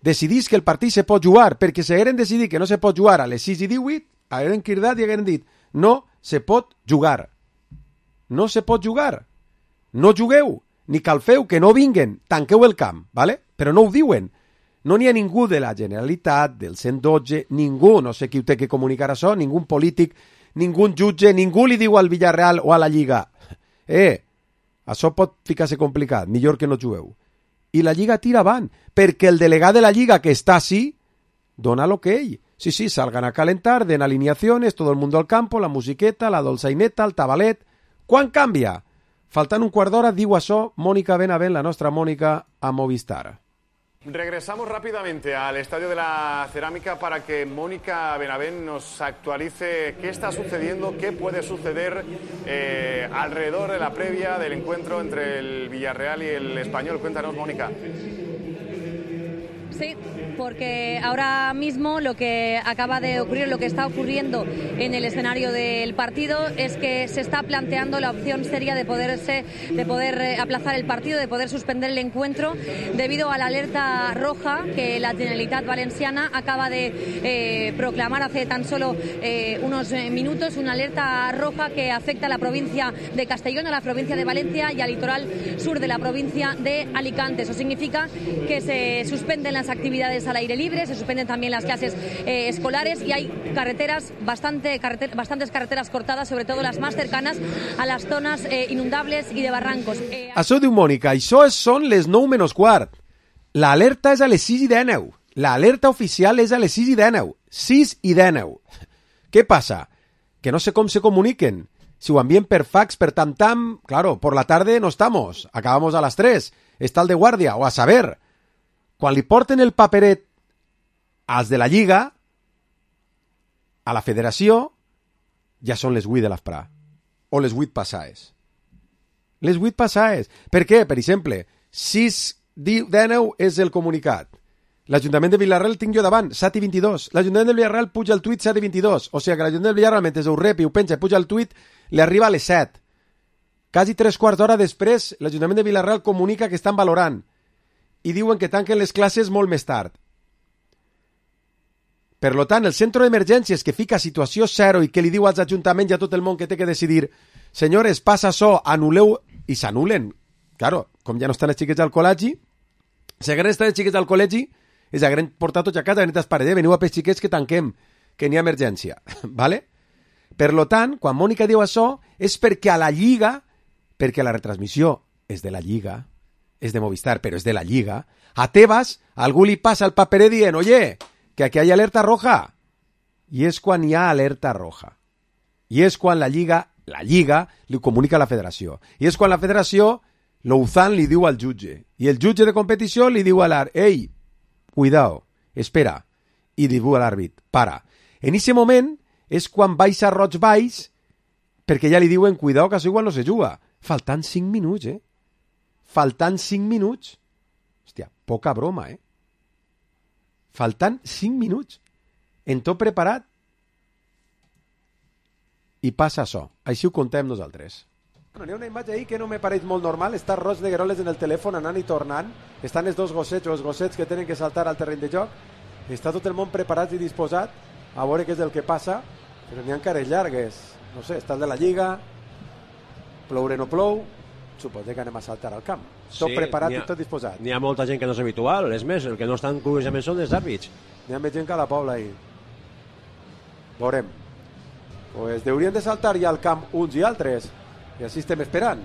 decidís que el partit se pot jugar, perquè si hagueren decidit que no se pot jugar a les sis i divuit, hagueren cridat i hagueren dit, no se pot jugar. No se pot jugar. No jugueu, ni calfeu, que no vinguen, tanqueu el camp, ¿vale? Però no ho diuen. No n'hi ha ningú de la Generalitat, del cent dotze, ningú, no sé qui ho té que comunicar això, ningú polític, ningú jutge, ningú li diu al Villarreal o a la Lliga, eh, Això pot ficar-se complicat, millor que no jugueu. I la Lliga tira avant, perquè el delegat de la Lliga, que està així, dona l'okey. Sí, sí, salgan a calentar, den alineaciones, todo el mundo al campo, la musiqueta, la dolçaineta, el tabalet... Quan canvia? Faltant un quart d'hora, diu això Mónica Benavent, la nostra Mónica, a Movistar. Regresamos rápidamente al Estadio de la Cerámica para que Mónica Benavent nos actualice qué está sucediendo, qué puede suceder eh, alrededor de la previa del encuentro entre el Villarreal y el Español. Cuéntanos, Mónica. Sí, porque ahora mismo lo que acaba de ocurrir, lo que está ocurriendo en el escenario del partido es que se está planteando la opción seria de poderse, de poder aplazar el partido, de poder suspender el encuentro debido a la alerta roja que la Generalitat Valenciana acaba de eh, proclamar hace tan solo eh, unos minutos, una alerta roja que afecta a la provincia de Castellón, a la provincia de Valencia y al litoral sur de la provincia de Alicante. Eso significa que se suspenden las actividades al aire libre, se suspenden también las clases eh, escolares y hay carreteras, bastante, carreter, bastantes carreteras cortadas, sobre todo las más cercanas a las zonas eh, inundables y de barrancos. Eh, Això diu Mònica, això són les nou menys quart. L'alerta és a les sis i dèneu. L'alerta oficial és a les sis i dèneu. sis i dèneu. Què passa? Que no sé com se comuniquen. Si ho envien per fax, per tam-tam, claro, por la tarde no estamos, acabamos a las tres, está el de guàrdia, o a saber. Quan li porten el paperet als de la Lliga, a la federació, ja són les vuit de l'esprà. O les vuit passades. Les vuit passades. Per què? Per exemple, sis dèneu és el comunicat. L'Ajuntament de Villarreal tinc jo davant, set i vint-i-dos. L'Ajuntament de Villarreal puja el tuit set i vint-i-dos. O sigui que l'Ajuntament de Villarreal, mentre ho rep i ho penja i puja el tuit, li arriba a les set. Quasi tres quarts d'hora després, l'Ajuntament de Villarreal comunica que estan valorant i diuen que tanquen les classes molt més tard. Per tant, el centre d'emergències que fica situació zero i que li diu als ajuntaments i a tot el món que té que decidir, senyores, passa això, anuleu, i s'anulen. Claro, com ja no estan els xiquets al col·legi, si hagueren estat els xiquets al col·legi, els hagueren portat tots a casa, hagueren dit, eh, veniu a pels xiquets que tanquem, que n'hi ha emergència. ¿Vale? Per tant, quan Mònica diu això, és perquè a la Lliga, perquè la retransmissió és de la Lliga, és de Movistar, però és de la Lliga, a Tebas algú li passa el paperet dient, oye, que aquí hay alerta roja. I és quan hi ha alerta roja. I és quan la Lliga, la Lliga li comunica a la federació. I és quan la federació, l'Ouzan li diu al jutge. I el jutge de competició li diu a l'àrbit, ei, cuidao, espera. I diu a l'àrbit, para. En aquest moment és quan baixa roig baix, perquè ja li diuen, cuidao, que això igual no se juga. Faltant cinc minuts, eh? Faltant cinc minuts. Hòstia, poca broma, eh? Faltant cinc minuts. En tot preparat. I passa això. Així ho contem nosaltres. Bueno, hi ha una imatge ahí que no me pareix molt normal. Està Roig de Gueroles en el telèfon anant i tornant. Estan els dos gossets o els gossets que tenen que saltar al terreny de joc. Està tot el món preparat i disposat a veure què és el que passa. Però n'hi ha cares llargues. No sé, està el de la Lliga. Ploure no plou. Suposo que anem a saltar al camp. Tot sí, preparat ha, i tot disposat. N'hi ha molta gent que no és habitual. És més, el que no estan curiosament són els àrbits. N'hi ha més gent que a la Pobla ahí. Veurem. Pues deurien de saltar ja al camp uns i altres. I així estem esperant.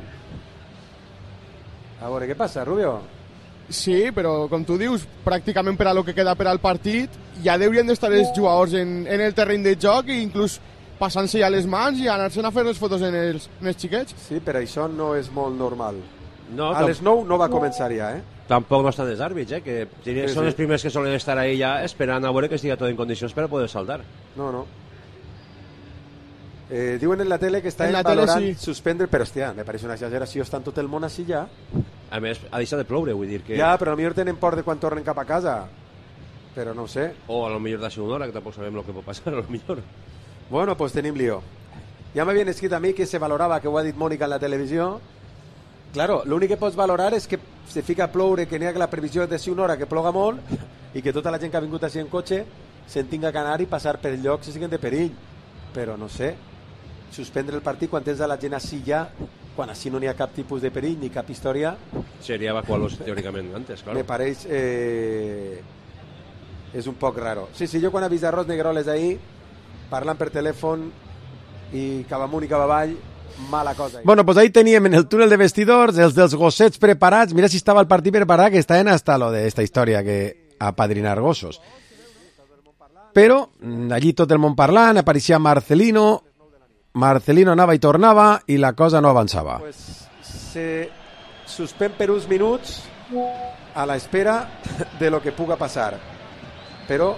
A veure què passa, Rubio. Sí, però com tu dius, pràcticament per a lo que queda per al partit, ja deurien d'estar els jugadors en, en el terreny de joc i inclús passant-se ja les mans i anar-se'n a fer les fotos en els, en els xiquets. Sí, però això no és molt normal. No, a les nou no va començar ja, eh? Tampoc no estan els àrbits, eh? Que sí, són sí. Els primers que solen estar ahí ja esperant a veure que estigui tot en condicions per a poder saltar. No, no. Eh, diuen en la tele que estan valorant sí. Suspendre, però hòstia, me pareix una exageració, estan tot el món així ja. A més, ha deixat de ploure, vull dir que... Ja, però potser tenen por de quan tornen cap a casa. Però no ho sé. O a lo millor d'això una hora, que tampoc sabem el que pot passar, a lo millor. Bueno, pues tenim lío. Ja m'havien escrit a mi que se valorava, que ho ha dit Mònica en la televisió. Claro, l'únic que pots valorar és que se fica a ploure, que n'hi ha que la previsió és de si una hora que ploga molt i que tota la gent que ha vingut així en cotxe se'n tinga que anar i passar per llocs que siguin de perill. Però no sé, suspendre el partit quan tens a la gent així ja, quan així no n'hi ha cap tipus de perill ni cap història. Seria evacuar-los teòricament antes, claro. Me pareix... Eh, és un poc raro. Sí, sí, jo quan he vist a Roig Negroles ahí, parlant per telèfon i cap amunt i cap avall, mala cosa. Bueno, pues ahí teníem en el túnel de vestidors els dels gossets preparats. Mira si estava el partit preparat, que estaven hasta lo de esta història que apadrinar gossos. Però allí tot el món parlant, apareixia Marcelino, Marcelino anava i tornava i la cosa no avançava. Pues se suspèn per uns minuts a la espera de lo que puga passar. Però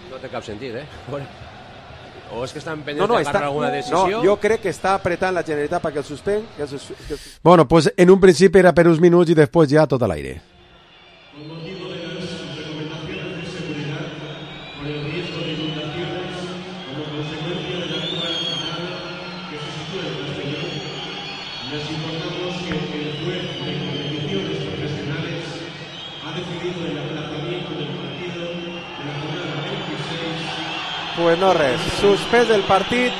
no té cap sentit, eh? O és que estan pendents no, no, de agarrar alguna decisió. No, jo crec que està apretant la Generalitat perquè el suspèn. Que el sus... que el... Bueno, pues en un principi era per uns minuts i després ja tot a l'aire. Con motivo de las recomendaciones de seguridad por el riesgo de inundaciones como consecuencia de la actual final que se sitúa en Castellón, les informamos que el juez de competiciones profesionales ha decidido el aplazamiento del partido de la jornada veintiséis. Pues no res, suspès el partit,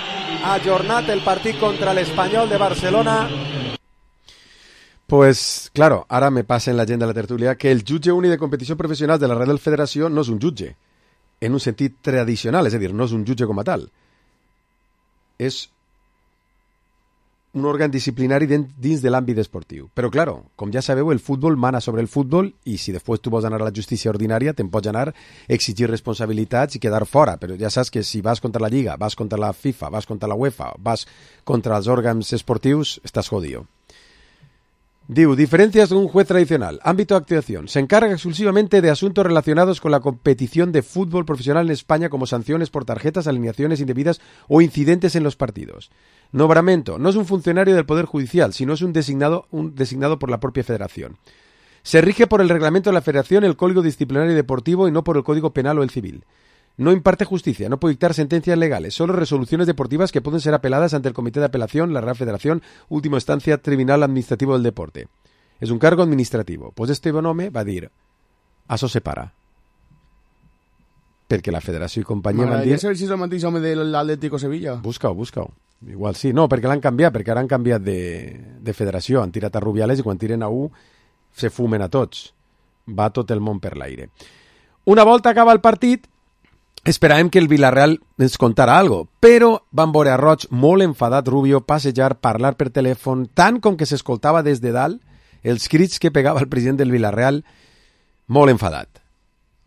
ajornat el partit contra l'Espanyol de Barcelona. Pues, claro, ara me passa en la gent de la tertúlia que el jutge únic de competició professional de la Reial Federació no és un jutge, en un sentit tradicional, és a dir, no és un jutge com a tal. És un òrgan disciplinari dins de l'àmbit esportiu. Però, claro, com ja sabeu, el futbol mana sobre el futbol i si després tu vols anar a la justícia ordinària te'n pots anar a exigir responsabilitats i quedar fora. Però ja saps que si vas contra la Lliga, vas contra la FIFA, vas contra la UEFA, vas contra els òrgans esportius, estàs jodido. Diu, diferencias de un juez tradicional. Ámbito de actuación. Se encarga exclusivamente de asuntos relacionados con la competición de fútbol profesional en España, como sanciones por tarjetas, alineaciones indebidas o incidentes en los partidos. Nombramiento. No es un funcionario del Poder Judicial, sino es un designado, un designado por la propia Federación. Se rige por el reglamento de la Federación, el Código Disciplinario Deportivo y no por el Código Penal o el Civil. No imparte justicia, no puede dictar sentencias legales, solo resoluciones deportivas que pueden ser apeladas ante el Comité de Apelación, la Real Federación, última instancia, Tribunal Administrativo del Deporte. És un cargo administrativo. Pues este home va dir, això se para. Perquè la Federació i companyia van dir... M'agradaria saber si és el mateix home de l'Atlético Sevilla. Busca-ho, busca-ho. Igual sí. No, perquè l'han canviat, perquè ara han canviat de, de federació. Han tirat a Rubiales i quan tiren a U se fumen a tots. Va tot el món per l'aire. Una volta acaba el partit, esperàvem que el Villarreal ens contara algo, però van veure a Roig molt enfadat Rubio passejar, parlar per telèfon, tant com que s'escoltava des de dalt els crits que pegava el president del Villarreal, molt enfadat.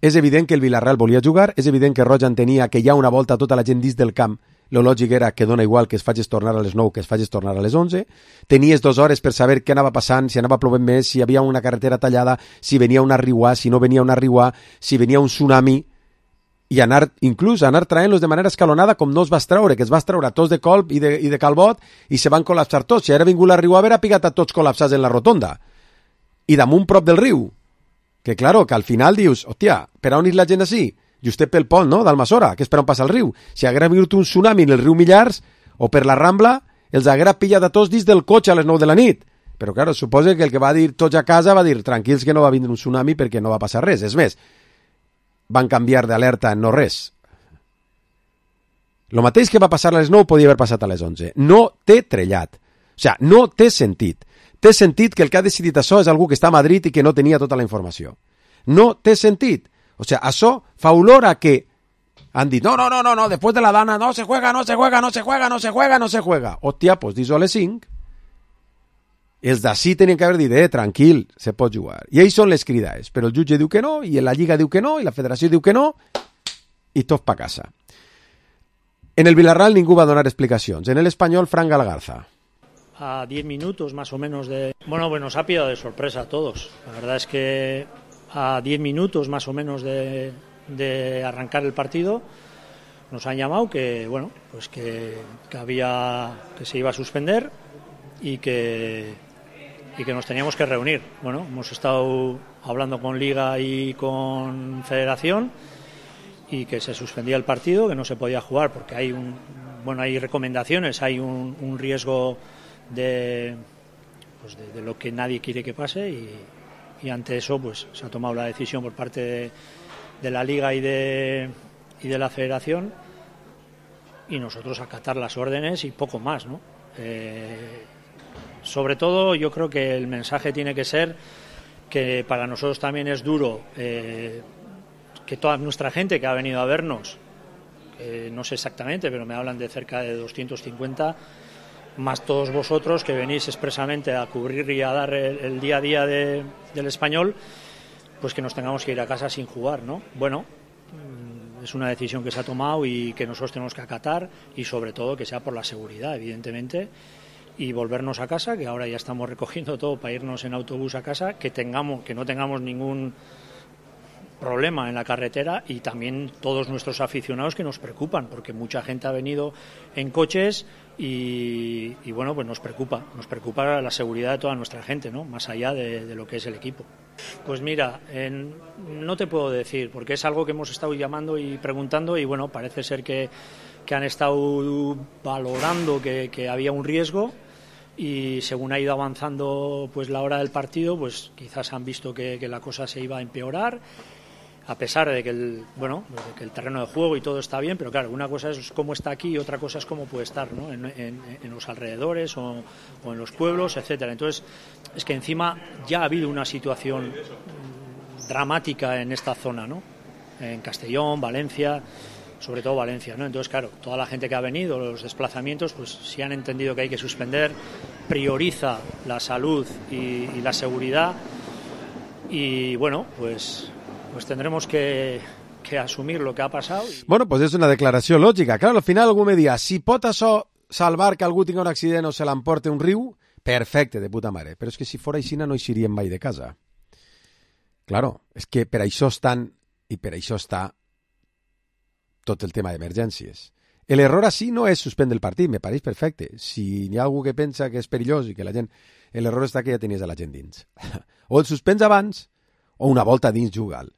És evident que el Villarreal volia jugar, és evident que Roig entenia que hi ha una volta tota la gent dins del camp, lo lògic era que dona igual que es facis tornar a les nou que es facis tornar a les onze, tenies dues hores per saber què anava passant, si anava plovent més, si hi havia una carretera tallada, si venia una riuà, si no venia una riuà, si venia un tsunami, i anar, inclús anar traient-los de manera escalonada com no es va traure, que es va traure tots de colp i de, i de calbot i se van col·lapsar tots. Si ara vingut la riu a veure, ha picat a tots col·lapsats en la rotonda. I damunt prop del riu. Que, claro, que al final dius, hòstia, per on és la gent així? Justet pel pont, no?, d'Almassora, que és per on passa el riu. Si haguera vingut un tsunami en el riu Millars o per la Rambla, els haguera pillat a tots dins del cotxe a les nou de la nit. Però, claro, suposa que el que va dir tots a casa va dir, tranquils que no va vindre un tsunami perquè no va passar res. És més, van canviar d'alerta en no res. Lo mateix que va passar a les nou podia haver passat a les onze. No té trellat. O sigui, no té sentit. Té sentit que el que ha decidit això és algú que està a Madrid i que no tenia tota la informació. No té sentit. O sigui, això fa olor a que han dit, no, no, no, no, no, després de la dana no se juega, no se juega, no se juega, no se juega, no se juega. Hòstia, pues dis-ho a les cinc. Els d'ací tenien que haver dit, eh, tranquil, se pot jugar. I ells són les cridades, però el jutge diu que no, i la Lliga diu que no, i la Federació diu que no, i tot pa casa. En el Villarreal ningú va donar explicacions. En el Espanyol, Fran Galgarza. A diez minutos más o menos de... Bueno, pues nos ha pillado de sorpresa a todos. La verdad es que a diez minutos más o menos de, de arrancar el partido nos han llamado que, bueno, pues que, que había, que se iba a suspender y que... y que nos teníamos que reunir. Bueno, hemos estado hablando con Liga y con Federación y que se suspendía el partido, que no se podía jugar porque hay un, bueno, hay recomendaciones, hay un, un riesgo de, pues de, de lo que nadie quiere que pase y, y ante eso pues se ha tomado la decisión por parte de, de la Liga y de, y de la Federación y nosotros acatar las órdenes y poco más, ¿no? Eh, Sobre todo, yo creo que el mensaje tiene que ser que para nosotros también es duro eh, que toda nuestra gente que ha venido a vernos, eh, no sé exactamente, pero me hablan de cerca de doscientos cincuenta, más todos vosotros que venís expresamente a cubrir y a dar el, el día a día de, del Español, pues que nos tengamos que ir a casa sin jugar, ¿no? Bueno, es una decisión que se ha tomado y que nosotros tenemos que acatar, y sobre todo que sea por la seguridad, evidentemente, y volvernos a casa, que ahora ya estamos recogiendo todo para irnos en autobús a casa, que tengamos, que no tengamos ningún problema en la carretera, y también todos nuestros aficionados que nos preocupan, porque mucha gente ha venido en coches y, y bueno, pues nos preocupa, nos preocupa la seguridad de toda nuestra gente, ¿no? Más allá de, de lo que es el equipo. Pues mira, en, no te puedo decir, porque es algo que hemos estado llamando y preguntando, y bueno, parece ser que, que han estado valorando que, que había un riesgo, y según ha ido avanzando pues la hora del partido, pues quizás han visto que, que la cosa se iba a empeorar, a pesar de que el bueno de que el terreno de juego y todo está bien, pero claro, una cosa es cómo está aquí y otra cosa es cómo puede estar, ¿no? en, en, en los alrededores o, o en los pueblos, etcétera. Entonces, es que encima ya ha habido una situación dramática en esta zona, ¿no? En Castellón, Valencia, sobre todo Valencia, ¿no? Entonces, claro, toda la gente que ha venido, los desplazamientos, pues si han entendido que hay que suspender, prioriza la salud y, y la seguridad, y bueno, pues pues tendremos que, que asumir lo que ha passat. Bueno, pues és una declaració lògica. Clar, al final algú me dia, si pot això salvar que algú tingui un accident o se l'emporte un riu, perfecte, de puta mare. Però és que si fora així no eixiríem mai de casa. Claro, és que per això estan, i per això està tot el tema d'emergències. L'error així no és suspendre el partit, me pareix perfecte. Si hi ha algú que pensa que és perillós i que la gent... L'error està que ja tenies a la gent dins. O el suspens abans, o una volta dins juga'l.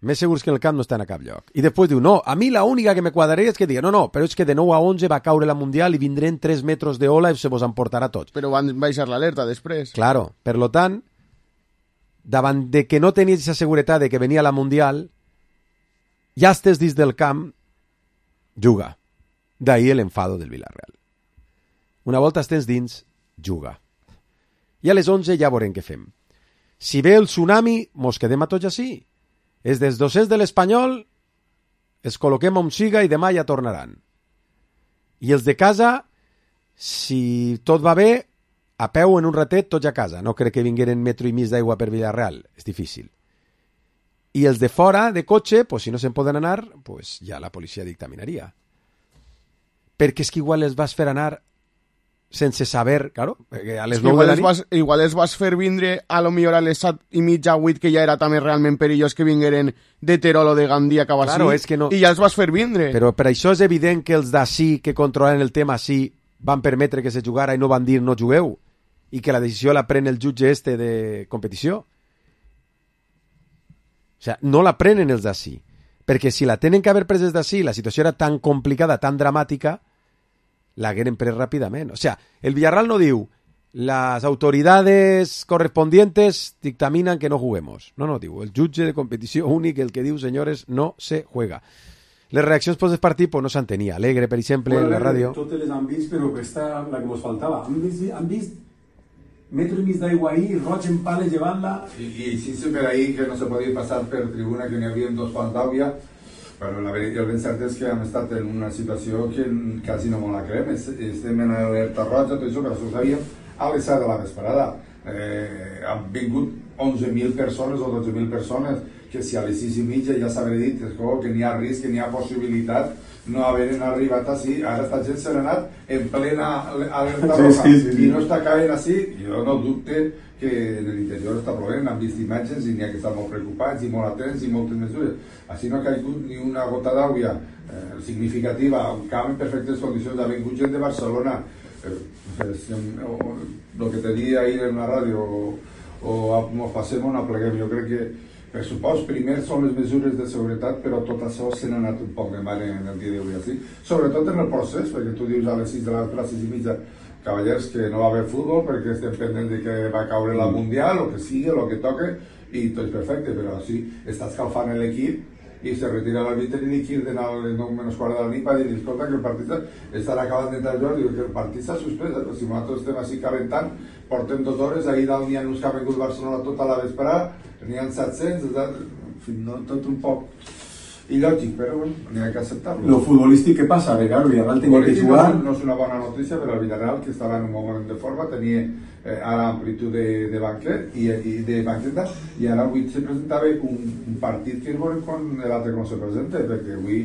Més segurs que en el camp no estan a cap lloc. I després diu, no, a mi la única que me quadraria és que digui, no, no, però és que de nou a onze va caure la Mundial i vindrem tres metres d'ola i se vos emportarà tots. Però van baixar l'alerta després. Claro, per lo tant, davant de que no tenies esa seguretat de que venia la Mundial, ja estés dins del camp, juga. D'ahí l'enfado del Villarreal. Una volta estés dins, juga. I a les onze ja veurem què fem. Si ve el tsunami, mos quedem a tots així. Els dels docents de l'Espanyol els col·loquem on siga i demà ja tornaran. I els de casa, si tot va bé, a peu en un ratet tots a casa. No crec que vingueren metro i mig d'aigua per Villarreal. És difícil. I els de fora, de cotxe, pues, si no se'n poden anar, pues, ja la policia dictaminaria. Perquè és que igual els vas fer anar sense saber, claro, a les nou de la nit... Vas, igual els vas fer vindre a lo millor a les set i mitja, vuit, que ja era també realment perillós que vingueren de Terol o de Gandia cap claro, així, és que no... i ja els vas fer vindre. Però per això és evident que els d'ací, que controlen el tema així, van permetre que se jugara i no van dir no jugueu, i que la decisió la pren el jutge este de competició. O sea, no la prenen els d'ací, perquè si la tenen que haver pres els d'ací, la situació era tan complicada, tan dramàtica, la hagueren pres ràpidament. O sea, el Villarreal no diu las autoridades correspondientes dictaminan que no juguemos. No, no, diu, el jutge de competició únic el que diu, senyores, no se juega. Les reaccions post partit pues, no s'han tenia. Alegre, per exemple, bueno, en la ràdio. Totes les han vist, però aquesta la que ens faltava. Han vist, han vist metro i mig d'aigua ahí, roig en pales llevant-la... I, i sí, per ahí que no se podia passar per tribuna, que n'hi havia dos pals d'aigua. Però la veritat, el ben cert és que hem estat en una situació que quasi no me la creem. Estem en alerta roja, tot això, però ho sabíem a les set de la vesprada. Eh, han vingut onze mil persones o dotze mil persones que si a les sis i mitja ja s'haver dit que n'hi ha risc, que n'hi ha possibilitat, no haveren arribat així. Ara esta gent s'ha anat en plena alerta roja sí, sí, sí. I no està caient així. Jo no dubte que en l'interior està plovent, han vist imatges i n'hi ha que estar molt preocupats i molt atents i moltes mesures. Així no ha caigut ni una gota d'aigua eh, significativa, un camp en perfectes condicions. Ha vingut gent de Barcelona, eh, el que te dia ahir en la ràdio, o, o ens passem o no pleguem. Jo crec que, per supost, primer són les mesures de seguretat, però tot això se n'ha anat un poc de mare en el dia d'avui així. Sobretot en el procés, perquè tu dius a les sis de les classes i mitja, cavallers, que no va haver futbol perquè estem pendents de que va caure la Mundial, o que sigui, o que toque, i tot és perfecte, però així està escalfant l'equip i se retira l'àrbitre i dic de anar a les nou menys quart de la nit per dir, escolta, que el partit estarà acabant d'entrar jo, diu que el partit s'ha suspès, però si nosaltres estem així calentant, portem dues hores, ahir dalt n'hi ha uns que ha vingut Barcelona tota la vesprada, n'hi ha set-cents, no, tot un poc il·lògic, però bueno, n'hi ha que acceptar-lo. Lo futbolístic, què passa? Que claro, Villarreal tenia que jugar... No és una bona notícia per al Villarreal, que estava en un moment de forma, tenia eh, ara amplitud de, de banquet i, i de banqueta, i ara avui se presentava un, un partit que veurem quan l'altre com se presenta, perquè avui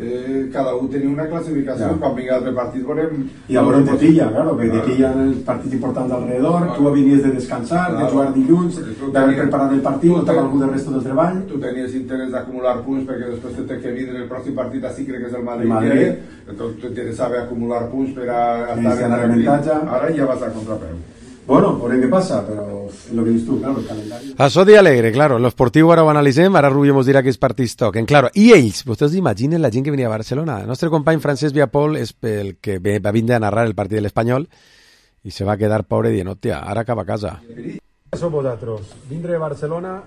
eh, cada un tenia una classificació, ja. Quan vingui l'altre partit veurem... I a veure te pilla, claro, que te pillan el partit important alrededor, tu venies de descansar, claro, de jugar dilluns, d'haver preparat el partit, no t'ha algú del resto del treball. Tu tenies interès d'acumular punts perquè després te té que vindre el pròxim partit així, crec que és el Madrid, el Madrid. Entonces tu t'interessava acumular punts per a estar en l'avantatge. Ara ja vas a contrapeu. Bueno, veurem què passa, però és el que dius tu, claro, el calendari. Això dia alegre, claro, en l'esportiu ara ho analitzem, ara Rubio mos dirà que els partits toquen, claro, i ells, vostès imaginen la gent que venia a Barcelona, el nostre company Francesc Viapol és el que va vindre a narrar el partit de l'Espanyol i se va quedar pobre dient, hòstia, ara cap a casa. Som vosaltres, vindre a Barcelona,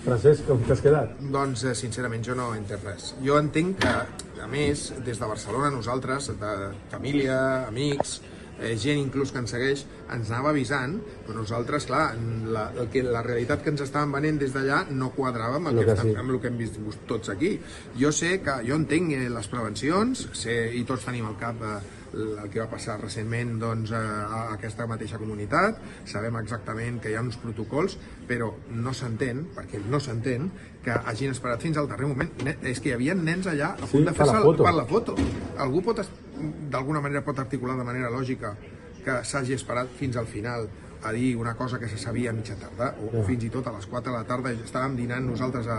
Francesc, com t'has quedat? Doncs, sincerament, jo no entenc res. Jo entenc que, a més, des de Barcelona, nosaltres, de família, amics, eh, gent inclús que ens segueix, ens anava avisant, però nosaltres, clar, la, el que, la realitat que ens estaven venent des d'allà no quadrava amb el, que, que, sí. amb el que hem vist tots aquí. Jo sé que, jo entenc les prevencions, sé, i tots tenim al cap eh, el que va passar recentment doncs, a aquesta mateixa comunitat, sabem exactament que hi ha uns protocols, però no s'entén, perquè no s'entén, que hagin esperat fins al darrer moment. És que hi havia nens allà a punt sí, de fer-se per la foto. Algú pot, d'alguna manera pot articular de manera lògica que s'hagi esperat fins al final a dir una cosa que se sabia a mitja tarda, o, o fins i tot a les quatre de la tarda estàvem dinant nosaltres a,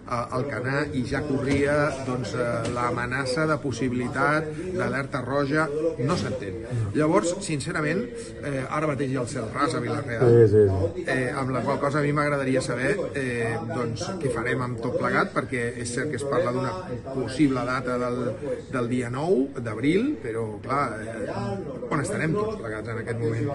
a, al Canà i ja corria doncs, l'amenaça de possibilitat d'alerta roja, no s'entén. Llavors, sincerament, eh, ara mateix hi ha el cel ras a Vilareal, sí, sí, sí. Eh, amb la qual cosa a mi m'agradaria saber eh, doncs, què farem amb tot plegat, perquè és cert que es parla d'una possible data del, del dia nou d'abril, però clar, eh, on estarem tots plegats en aquest moment?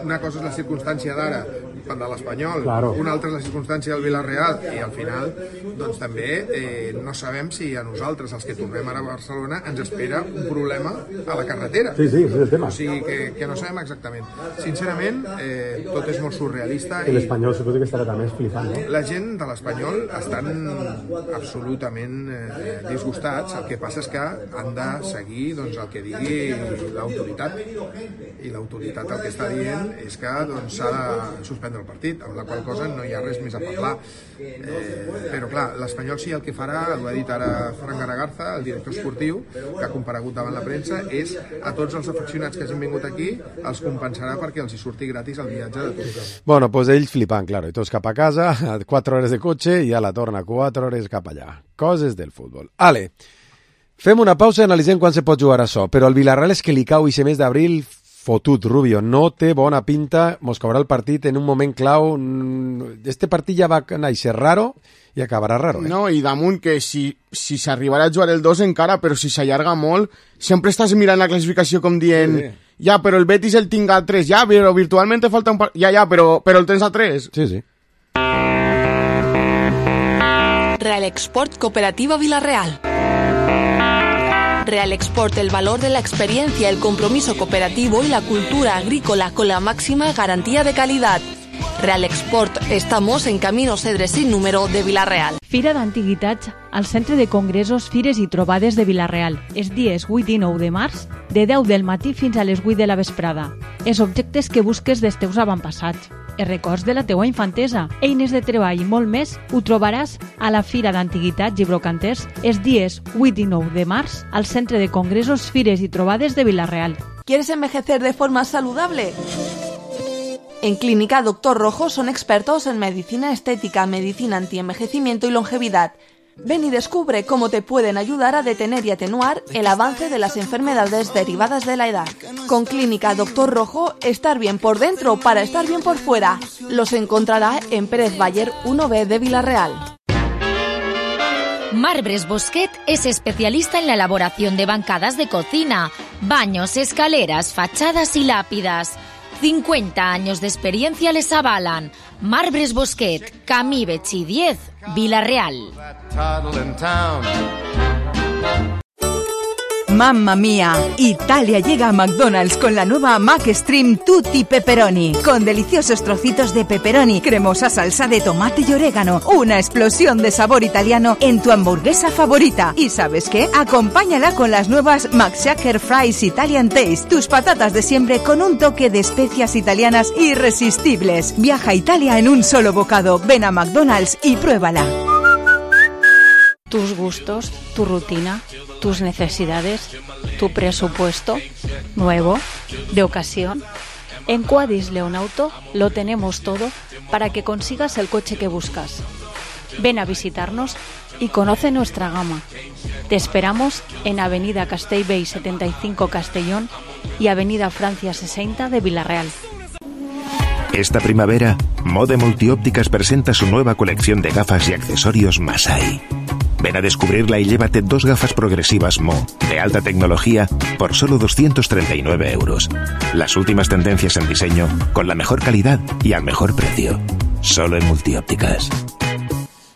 Una cosa és la circumstància d'ara de l'Espanyol, claro. Una altra és la circumstància del Villarreal, i al final doncs també eh, no sabem si a nosaltres, els que tornem ara a Barcelona, ens espera un problema a la carretera. Sí, sí, és el tema. O sigui que, que no sabem exactament. Sincerament, eh, tot és molt surrealista. I l'Espanyol suposo que estarà també flipant, no? La gent de l'Espanyol estan absolutament eh, disgustats. El que passa és que han de seguir doncs, el que digui l'autoritat, i l'autoritat el que està dient és que doncs, s'ha de suspendre el partit, amb la qual cosa no hi ha res més a parlar. Eh, però clar, l'Espanyol sí el que farà, ho ha dit ara Fran Garagarza, el director esportiu, que ha comparegut davant la premsa, és a tots els afeccionats que hagin vingut aquí els compensarà perquè els hi surti gratis el viatge de tots. Bueno, pues ells flipant, claro, i tots cap a casa, quatre hores de cotxe i a la torna quatre hores cap allà. Coses del futbol. Ale, fem una pausa i analitzem quan se pot jugar això, però el Villarreal és que li cau i se mes d'abril fotut, Rubio, no té bona pinta, mos caurà el partit en un moment clau. Este partit ja va néixer raro i acabarà raro. Eh? No, i damunt que si, si s'arribarà a jugar el dos encara, però si s'allarga molt, sempre estàs mirant la classificació com dient, sí, sí. Ja, però el Betis el tinc a tres, ja, però virtualment te falta un partit, ja, ja, però, però el tens a tres. Sí, sí. Real Export Cooperativa Villarreal. Real Export, el valor de la experiencia, el compromiso cooperativo y la cultura agrícola con la máxima garantía de calidad. Real Export, estamos en Camino Cedre sin número de Vilareal. Fira d'Antiguitats al Centre de Congressos, Fires i Trobades de Vilareal. Els dies vuit i nou de març, de deu del matí fins a les vuit de la vesprada. Els objectes que busques dels teus avantpassats, els records de la teua infantesa, eines de treball i molt més, ho trobaràs a la Fira d'Antiguitats i Brocanters els dies vuit i nou de març al Centre de Congressos, Fires i Trobades de Vilareal. ¿Quieres envejecer de forma saludable? En Clínica Doctor Rojo son expertos en medicina estética, medicina antienvejecimiento y longevidad. Ven y descubre cómo te pueden ayudar a detener y atenuar el avance de las enfermedades derivadas de la edad. Con Clínica Doctor Rojo, estar bien por dentro para estar bien por fuera. Los encontrará en Pérez Bayer uno B de Vilareal. Marbres Bosquet es especialista en la elaboración de bancadas de cocina, baños, escaleras, fachadas y lápidas. cincuenta años de experiencia les avalan. Marbres Bosquet, Camí Betxí diez, Vilareal. Mamma mía, Italia llega a McDonald's con la nueva McStream Tutti Pepperoni, con deliciosos trocitos de pepperoni, cremosa salsa de tomate y orégano, una explosión de sabor italiano en tu hamburguesa favorita. ¿Y sabes qué? Acompáñala con las nuevas McShaker Fries Italian Taste, tus patatas de siempre con un toque de especias italianas irresistibles. Viaja a Italia en un solo bocado. Ven a McDonald's y pruébala. Tus gustos, tu rutina, tus necesidades, tu presupuesto, nuevo, de ocasión. En Quadis León Auto lo tenemos todo para que consigas el coche que buscas. Ven a visitarnos y conoce nuestra gama. Te esperamos en Avenida Castellbell setenta y cinco Castellón y Avenida Francia sesenta de Villarreal. Esta primavera, Mode Multiópticas presenta su nueva colección de gafas y accesorios Masai. Ven a descubrirla y llévate dos gafas progresivas Mo, de alta tecnología, por solo doscientos treinta y nueve euros. Las últimas tendencias en diseño, con la mejor calidad y al mejor precio. Solo en Multiópticas.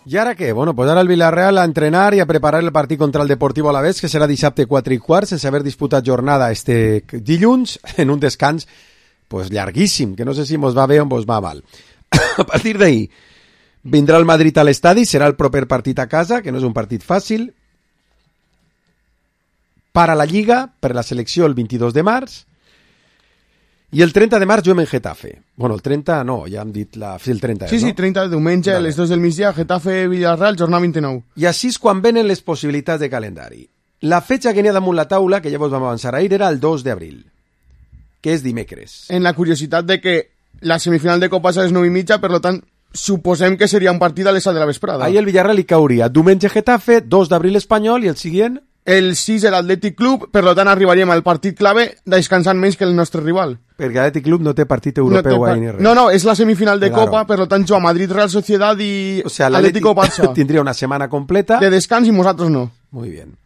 I ara què? Bueno, pues ara el Villarreal a entrenar i a preparar el partit contra el Deportivo Alavés, que serà dissabte quatre i quart, sense haver disputat jornada este dilluns, en un descans pues llarguíssim, que no sé si mos va bé o mos va mal. A partir d'ahí, vindrà el Madrid a l'estadi, serà el proper partit a casa, que no és un partit fàcil. Para la Lliga, per la selecció el vint-i-dos de març, i el trenta de març juguem en Getafe. Bueno, el trenta no, ja hem dit la... Sí, el trenta, sí, no? Sí, trenta de diumenge, vale. A les dos del migdia, Getafe, Villarreal, jornada vint-i-nou. I així és quan venen les possibilitats de calendari. La fetxa que n'hi ha damunt la taula, que ja vos vam avançar ahir, era el dos d'abril, que és dimecres. En la curiositat de que la semifinal de Copa és a les nou i mitja, per tant, suposem que seria un partit a les set de la vesprada. Ahir el Villarreal hi cauria diumenge Getafe, dos d'abril Espanyol, i el següent... El sis el Atlètic Club, per tant arribaríem al partit clave descansant menys que el nostre rival. Perquè l'Atlètic Club no té partit europeu no par... ahí ni res. No, no, és la semifinal de claro. Copa, per tant juga Madrid, Real Sociedad i o sea, Atlético Barça. Tindria una setmana completa. De descans i nosaltres no. Muy bien.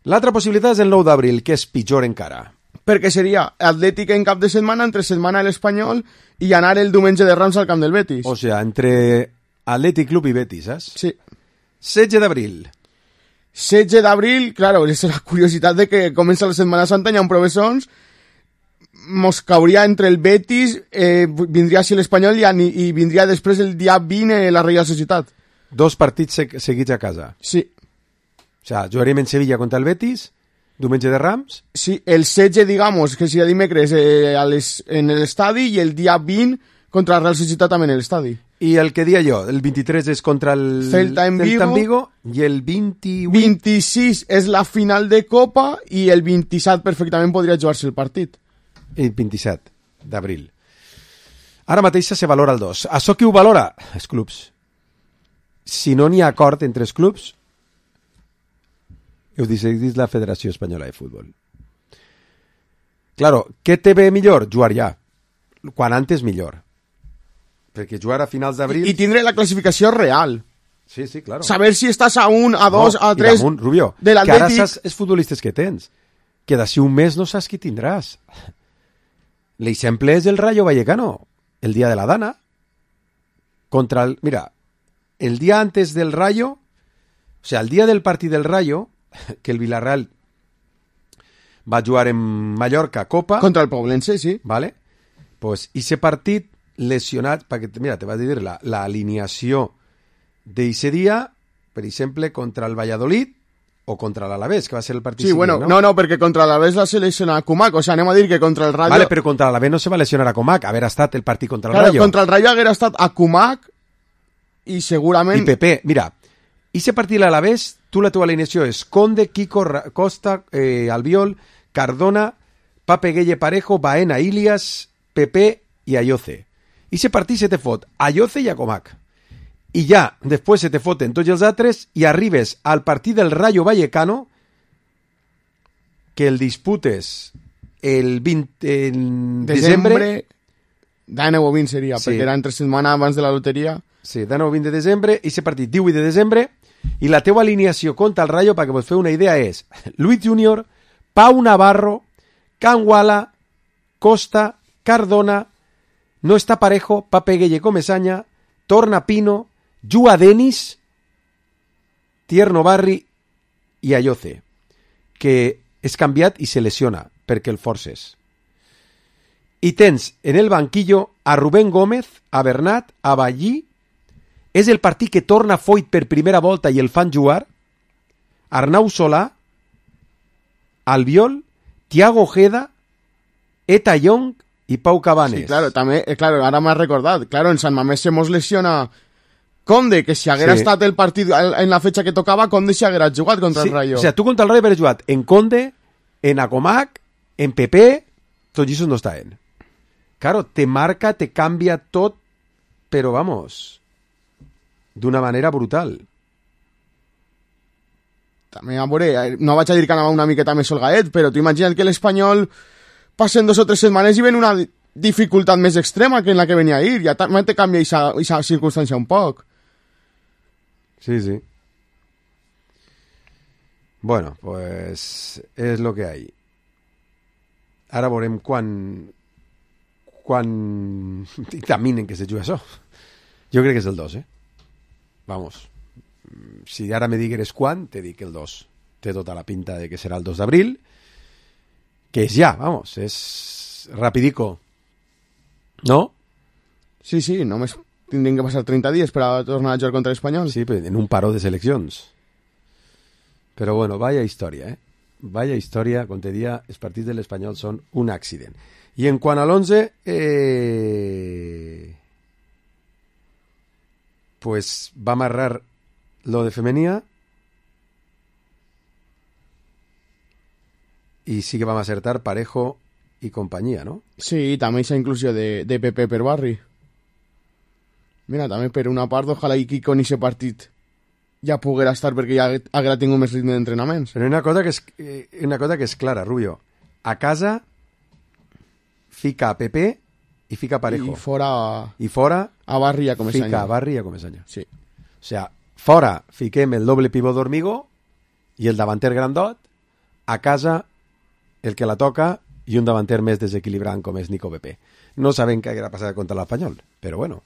L'altra possibilitat és el nou d'abril, que és pitjor encara. Perquè seria Atlètic en cap de setmana, entre setmana l'Espanyol, i anar el diumenge de Rams al camp del Betis. O sea, entre Atlètic Club i Betis, saps? Sí. setze d'abril. setze d'abril, claro, és la curiositat de que comença la Setmana Santa, hi ha un provessons, mos cauria entre el Betis, eh, vindria així l'Espanyol i, i vindria després el dia vint eh, la Reial Societat. Dos partits se seguits a casa. Sí. O sea, jugaríem en Sevilla contra el Betis, diumenge de Rams. Sí, el setze, digamos, que seria dimecres eh, a les, en l'estadi, i el dia vint contra la Real Societat també en l'estadi. I el que dia jo, el vint-i-tres és contra el Celta en Vigo, Celta en Vigo i el vint-i-vuit... vint-i-sis és la final de Copa i el vint-i-set perfectament podria jugar-se el partit. El vint-i-set d'abril. Ara mateix se valora el dos. Això qui ho valora? Els clubs. Si no n'hi ha acord entre els clubs, ho decidís la Federació Espanyola de Futbol. Claro, què té bé millor? Jugar ja. Quan antes millor. Perquè jugar a finals d'abril... I, I tindre la classificació real. Sí, sí, claro. Saber si estàs a un, a dos, no, a tres... Damunt, Rubio, de que ara saps els futbolistes que tens. Que d'ací un mes no saps qui tindràs. L'exemple és el Rayo Vallecano. El dia de la Dana. Contra el... Mira, el dia antes del Rayo... O sea, el dia del partit del Rayo, que el Villarreal va jugar en Mallorca Copa... Contra el Poblense, sí. Vale? Pues, i ese partit... lesionat, perquè, mira, te vas a dir la, la alineació d'eixe dia, per exemple, contra el Valladolid o contra l'Alavés, que va ser el partit sí, siguiente, bueno, no? no, no, perquè contra l'Alavés va ser lesionar a Kumak, o sea, anem a dir que contra el Rayo... Vale, però contra l'Alavés no se va lesionar a Kumak, haver estat el partit contra el claro, Rayo. Contra el Rayo haguera estat a Kumak i segurament... I Pepe, mira, ese partit a l'Alavés, tu la teva alineació és Conde, Kiko, Costa, eh, Albiol, Cardona, Pape Gueye Parejo, Baena, Ilias, Pepe i Ayoce. I ese partit se te fot a Ayoce i a Comac. I ja, després se te foten tots els altres i arribes al partit del Rayo Vallecano, que el disputes el vint en desembre... desembre d'aneu o vint seria, sí. Perquè era entre setmana abans de la loteria. Sí, d'aneu o vint de desembre, i ese partit divuit de desembre, i la teua alineació contra el Rayo, perquè vos feu una idea, és Luis Junior, Pau Navarro, Can Wala, Costa, Cardona, no està Parejo, Pape Gueye Comesaña, Torna Pino, Jua Denis, Tierno Barri i Ayoce. Que és canviat i se lesiona perquè el forces. I tens en el banquillo a Rubén Gómez, a Bernat, a Ballí. És el partit que torna Foyt per primera volta i el fan jugar. Arnau Solà, Albiol, Thiago Ojeda, Eta Young y Pau Cabanes. Sí, claro, també, eh, claro, ara m'has recordat. Claro, en Sant Mamés se mos lesiona Conde, que si haguera sí. estat el partit en la fecha que tocava, Conde si haguera jugat contra sí, el Rayo. O sea, tu contra el Rayo hagueres jugat en Conde, en Acomac, en Pepe, tots ells no estaven. Claro, te marca, te canvia tot, però vamos, d'una manera brutal. També, a veure, no vaig a dir que anava una miqueta més holgaet, però tu imagina't que l'Espanyol passen dos o tres setmanes i ven una dificultat més extrema que en la que venia ahir. Ja també te canvia aquesta circumstància un poc. Sí, sí. Bueno, pues és lo que hay. Ara veurem quan quan dictaminen que se juga això. Jo crec que és el dos, eh? Vamos. Si ara me digueres quan, te dic el dos. Té tota la pinta de que serà el dos d'abril, que és ja, vamos, és rapidico. ¿No? Sí, sí, només tindrien que passar treinta dies per a tornar a jugar contra l'Espanyol. Sí, en un paró de seleccions. Però bueno, vaya història, eh? Vaya història, com te dia, els partits de l'Espanyol són un accident. I en quant a l'onze, eh... pues va amarrar lo de Femenía y sí que vam acertar Parejo i companyia, no? Sí, també aquesta inclusió de, de Pepe per Barri. Mira, també per una part, ojalà i Kiko en aquest partit ja poguera estar perquè ja haguera tingut més ritme d'entrenaments. Però una cosa que és, una cosa que és clara, Rubio. A casa fica a Pepe i fica a Parejo. I fora... I fora... A Barri i a Comesaña. Fica a Barri i a Comesaña. Sí. O sea, fora fiquem el doble pivot d'Ormigo i el davanter grandot. A casa el que la toca i un davanter més desequilibrant com és Nico Pepe. No sabem què haguera passat contra l'Espanyol, però bueno,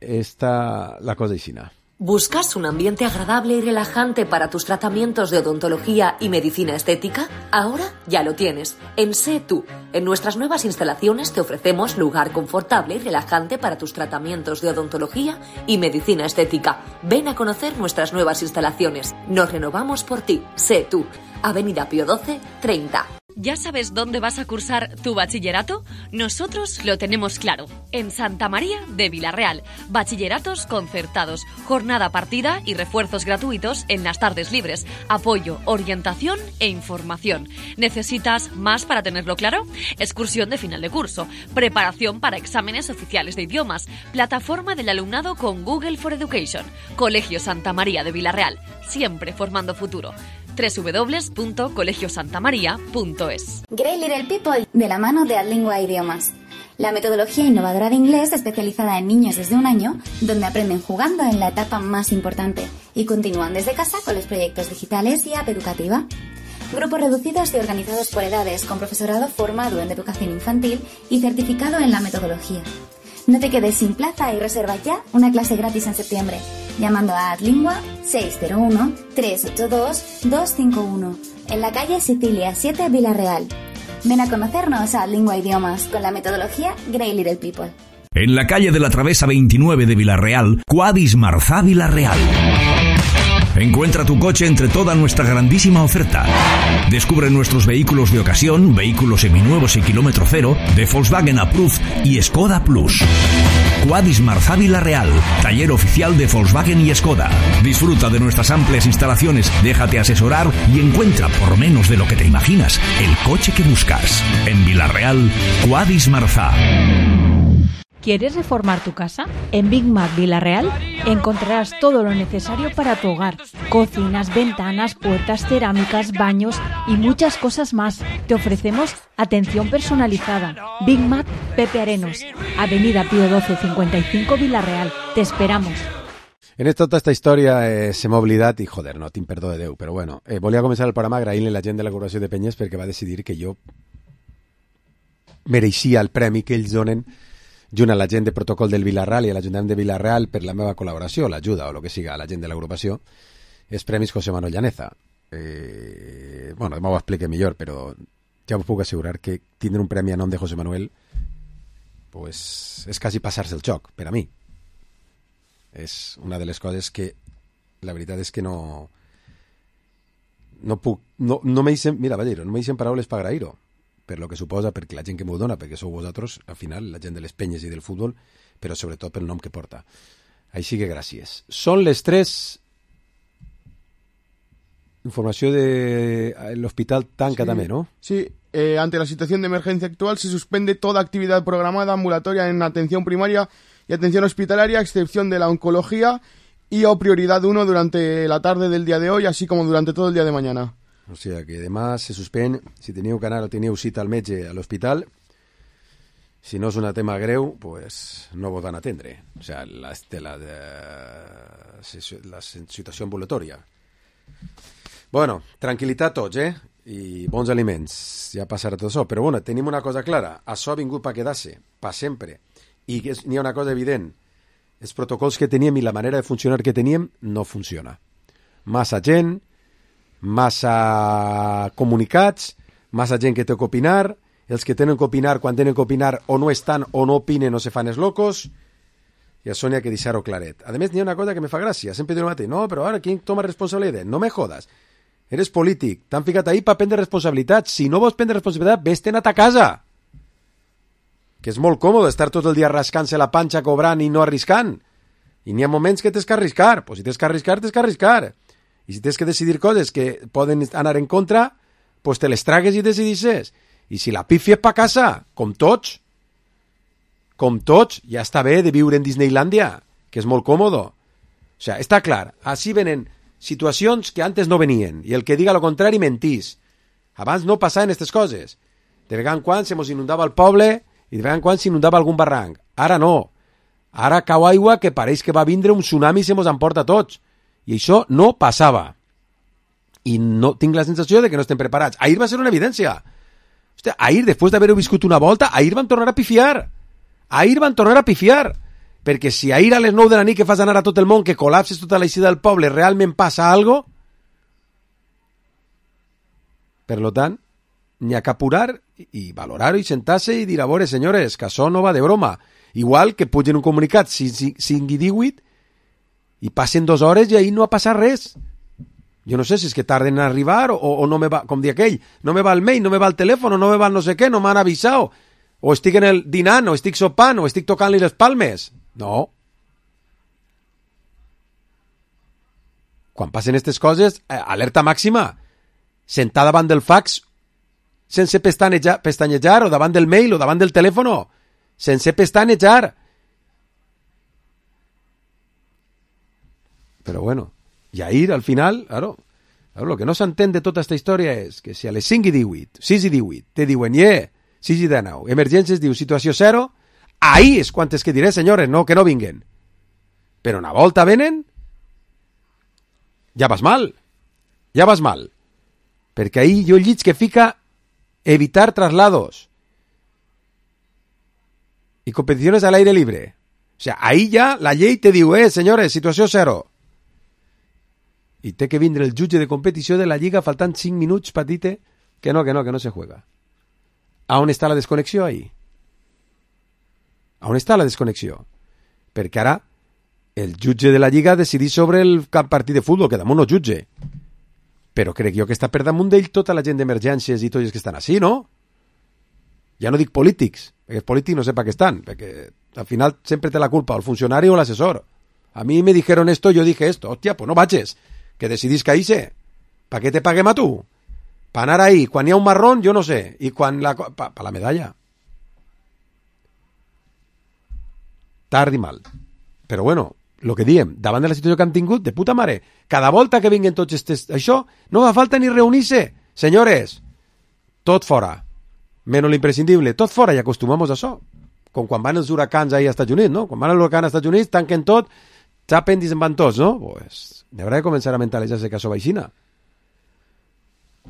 esta la cosa aixina. ¿Buscas un ambiente agradable y relajante para tus tratamientos de odontología y medicina estética? Ahora ya lo tienes. En Sé Tú. En nuestras nuevas instalaciones te ofrecemos lugar confortable y relajante para tus tratamientos de odontología y medicina estética. Ven a conocer nuestras nuevas instalaciones. Nos renovamos por ti. Sé Tú. Avenida Pío doce, treinta. ¿Ya sabes dónde vas a cursar tu bachillerato? Nosotros lo tenemos claro. En Santa María de Vilarreal. Bachilleratos concertados, jornada partida y refuerzos gratuitos en las tardes libres. Apoyo, orientación e información. ¿Necesitas más para tenerlo claro? Excursión de final de curso. Preparación para exámenes oficiales de idiomas. Plataforma del alumnado con Google for Education. Colegio Santa María de Vilarreal. Siempre formando futuro. doble u doble u doble u punto colegio santa maría punto es. Great Little People, de la mano de Adlingua Idiomas. La metodología innovadora de inglés especializada en niños desde un año, donde aprenden jugando en la etapa más importante y continúan desde casa con los proyectos digitales y app educativa. Grupos reducidos y organizados por edades, con profesorado formado en educación infantil y certificado en la metodología. No te quedes sin plaza y reserva ya una clase gratis en septiembre, llamando a Adlingua seis cero uno, tres ocho dos, dos cinco uno, en la calle Sicilia siete, Vilarreal. Ven a conocernos a Adlingua Idiomas con la metodología Great Little People. En la calle de la Travesa veintinueve de Vilarreal, Quadis Marzá Vilarreal. Encuentra tu coche entre toda nuestra grandísima oferta. Descubre nuestros vehículos de ocasión, vehículos seminuevos y kilómetro cero, de Volkswagen Approved y Skoda Plus. Quadis Marzá Vilarreal, taller oficial de Volkswagen y Skoda. Disfruta de nuestras amplias instalaciones, déjate asesorar y encuentra, por menos de lo que te imaginas, el coche que buscas. En Vilarreal, Quadis Marzá. ¿Quieres reformar tu casa? En Big Mac Vilarreal encontrarás todo lo necesario para tu hogar. Cocinas, ventanas, puertas, cerámicas, baños y muchas cosas más. Te ofrecemos atención personalizada. Big Mac Pepe Arenos, Avenida Pío doce, cincuenta y cinco, Vilarreal. Te esperamos. En esta, tota esta història eh, se m'ha oblidat i, joder, no tinc perdó de Déu, però bueno, eh, volia començar el programa agraint-li a la gent de la Corporació de Penyes perquè va decidir que jo mereixia el premi que ells donen junt a la gent de protocol del Vilarreal i a l'Ajuntament de Vilarreal per la meva col·laboració, l'ajuda o el que siga a la gent de l'agrupació, els Premis José Manuel Llaneza. eh, bueno, demà ho explique millor, però ja us puc assegurar que tindre un premi a nom de José Manuel pues, és quasi passar-se el xoc, per a mi. És una de les coses que la veritat és que no no puc, no, no me dicen, mira, va dir, no me dicen paraules per agrair-ho, per lo que suposa, perquè la gent que m'ho dona, perquè sou vosaltres, al final, la gent de les penyes i del futbol, però sobretot pel nom que porta. Així que gràcies. Són les tres. Informació de l'hospital tanca sí, també, ¿no? Sí, eh, ante la situación de emergencia actual se suspende toda actividad programada ambulatoria en atención primaria y atención hospitalaria, a excepción de la oncología y o prioridad uno durante la tarde del día de hoy, así como durante todo el día de mañana. O sea que demà se suspèn, si teníeu que anar o teníeu cita al metge a l'hospital, si no és un tema greu, pues no vos van atendre. O sea, la, la, de, la situació ambulatòria. Bueno, tranquil·litat tots, eh? I bons aliments, ja passarà tot això. Però bueno, tenim una cosa clara, això ha vingut per quedar-se, per sempre. I n'hi ha una cosa evident, els protocols que teníem i la manera de funcionar que teníem no funciona. Massa gent, massa comunicats, massa gent que té que opinar, els que tenen que opinar, quan tenen que opinar, o no estan o no opinen o se fan els locos, i això n'hi ha que deixar-ho claret. A més, n'hi ha una cosa que me fa gràcia, sempre diu el mateix, no, però ara, qui toma responsabilitat? No me jodas. Eres polític, t'han ficat ahí per prendre responsabilitat. Si no vols prendre responsabilitat, vés-te'n a ta casa. Que és molt còmode estar tot el dia rascant-se la panxa, cobrant i no arriscant. I n'hi ha moments que tens que arriscar. Pues si tens que arriscar, tens que arriscar. I si tens que decidir coses que poden anar en contra, pues te les tragues i decidisses. I si la pifia és pa casa, com tots, com tots, ja està bé de viure en Disneylandia, que és molt còmode. O sea, està clar, així venen situacions que antes no venien, i el que diga lo contrari mentís. Abans no passaven aquestes coses. De vegades en quan se mos inundava el poble i de vegades en quan s'inundava algun barranc. Ara no. Ara cau aigua que pareix que va vindre un tsunami i se mos emporta tots. I això no passava. I no tinc la sensació de que no estem preparats. Ahir va ser una evidència. Hòstia, ahir, després d'haver-ho viscut una volta, ahir van tornar a pifiar. Ahir van tornar a pifiar. Perquè si ahir a les nou de la nit que fas anar a tot el món, que col·lapses tota l'eixida del poble, realment passa algo, per lo tant, n'hi ha que apurar i valorar-ho i sentar-se i dir, a veure, senyores, que això no va de broma. Igual que pugen un comunicat cinc i divuit i passen dues hores i ahir no ha passat res. Jo no sé si és que tarden en arribar o, o no me va, com dir aquell, no me va el mail, no me va el telèfon, no me va el no sé què, no m'han avisat, o estic en el dinant, o estic sopant, o estic tocant-li les palmes. No. Quan passen aquestes coses, alerta màxima. Sentar davant del fax sense pestanejar, pestanyejar, o davant del mail, o davant del telèfon, sense pestanejar. Però bueno, i ahir, al final, claro, claro, lo que no s'entén de tota aquesta història és que si a les cinc i divuit, sis i divuit, te diuen, yeah, sis i dinou, emergències, diu, situació zero, ahí és quantes que diré, senyores, no, que no vinguen. Però una volta venen, ja vas mal, ja vas mal. Perquè ahí jo llits que fica evitar traslados y competiciones al aire libre. O sea, ahí ya la llei te diu, eh, senyores, situació zero. I té que vindre el jutge de competició de la Lliga faltant cinc minuts per dir-te que no, que no, que no se juega. A on està la desconnexió ahí? A on està la desconnexió? Perquè ara el jutge de la Lliga decidís sobre el partit de futbol, que damunt no jutge. Però crec jo que està per damunt d'ell tota la gent d'emergències i tots els que estan així, no? Ja no dic polítics, perquè els polítics no sé per què estan, perquè al final sempre té la culpa el funcionari o l'assessor. A mi me dijeron esto, yo dije esto. Hòstia, pues no vages, que decidís que hice. ¿Para qué te paguem a tu? Para anar ahí, quan hi ha un marrón, jo no sé, i quan la... Pa, pa la medalla. Tard i mal. Però bueno, lo que diem, davant de la situació que han tingut, de puta mare, cada volta que vinguen tots estes, això, no fa falta ni reunir-se. Senyores, tot fora, menys l'imprescindible, tot fora, i acostumamos a això. Com quan van els huracans ahí als Estats Units, no? Quan van l'huracan als Estats Units, tanquen tot, xapen i se'n van tots, no? Pues, haurà de començar a mentalitzar-se que això va aixina.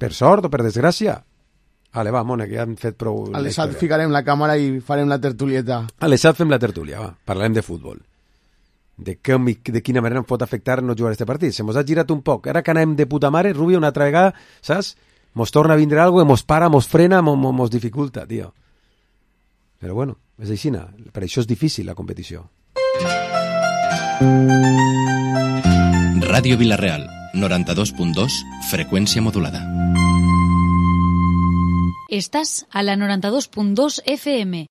Per sort o per desgràcia. Vale, va, Mona, que ja han fet prou... A l'Esat ficarem la càmera i farem la tertulieta. A l'Esat fem la tertúlia, va, parlarem de futbol. de, com, de quina manera em pot afectar no jugar a este partit. Se mos ha girat un poc. Ara que anem de puta mare, Rubio, una altra vegada, saps? Mos torna a vindre algo, mos para, mos frena, mos, mos dificulta, tio. Però bueno, és així. Per això és difícil la competició. Ràdio Vila-real, noranta-dos punt dos, freqüència modulada. Estás a la noranta dos punt dos F M.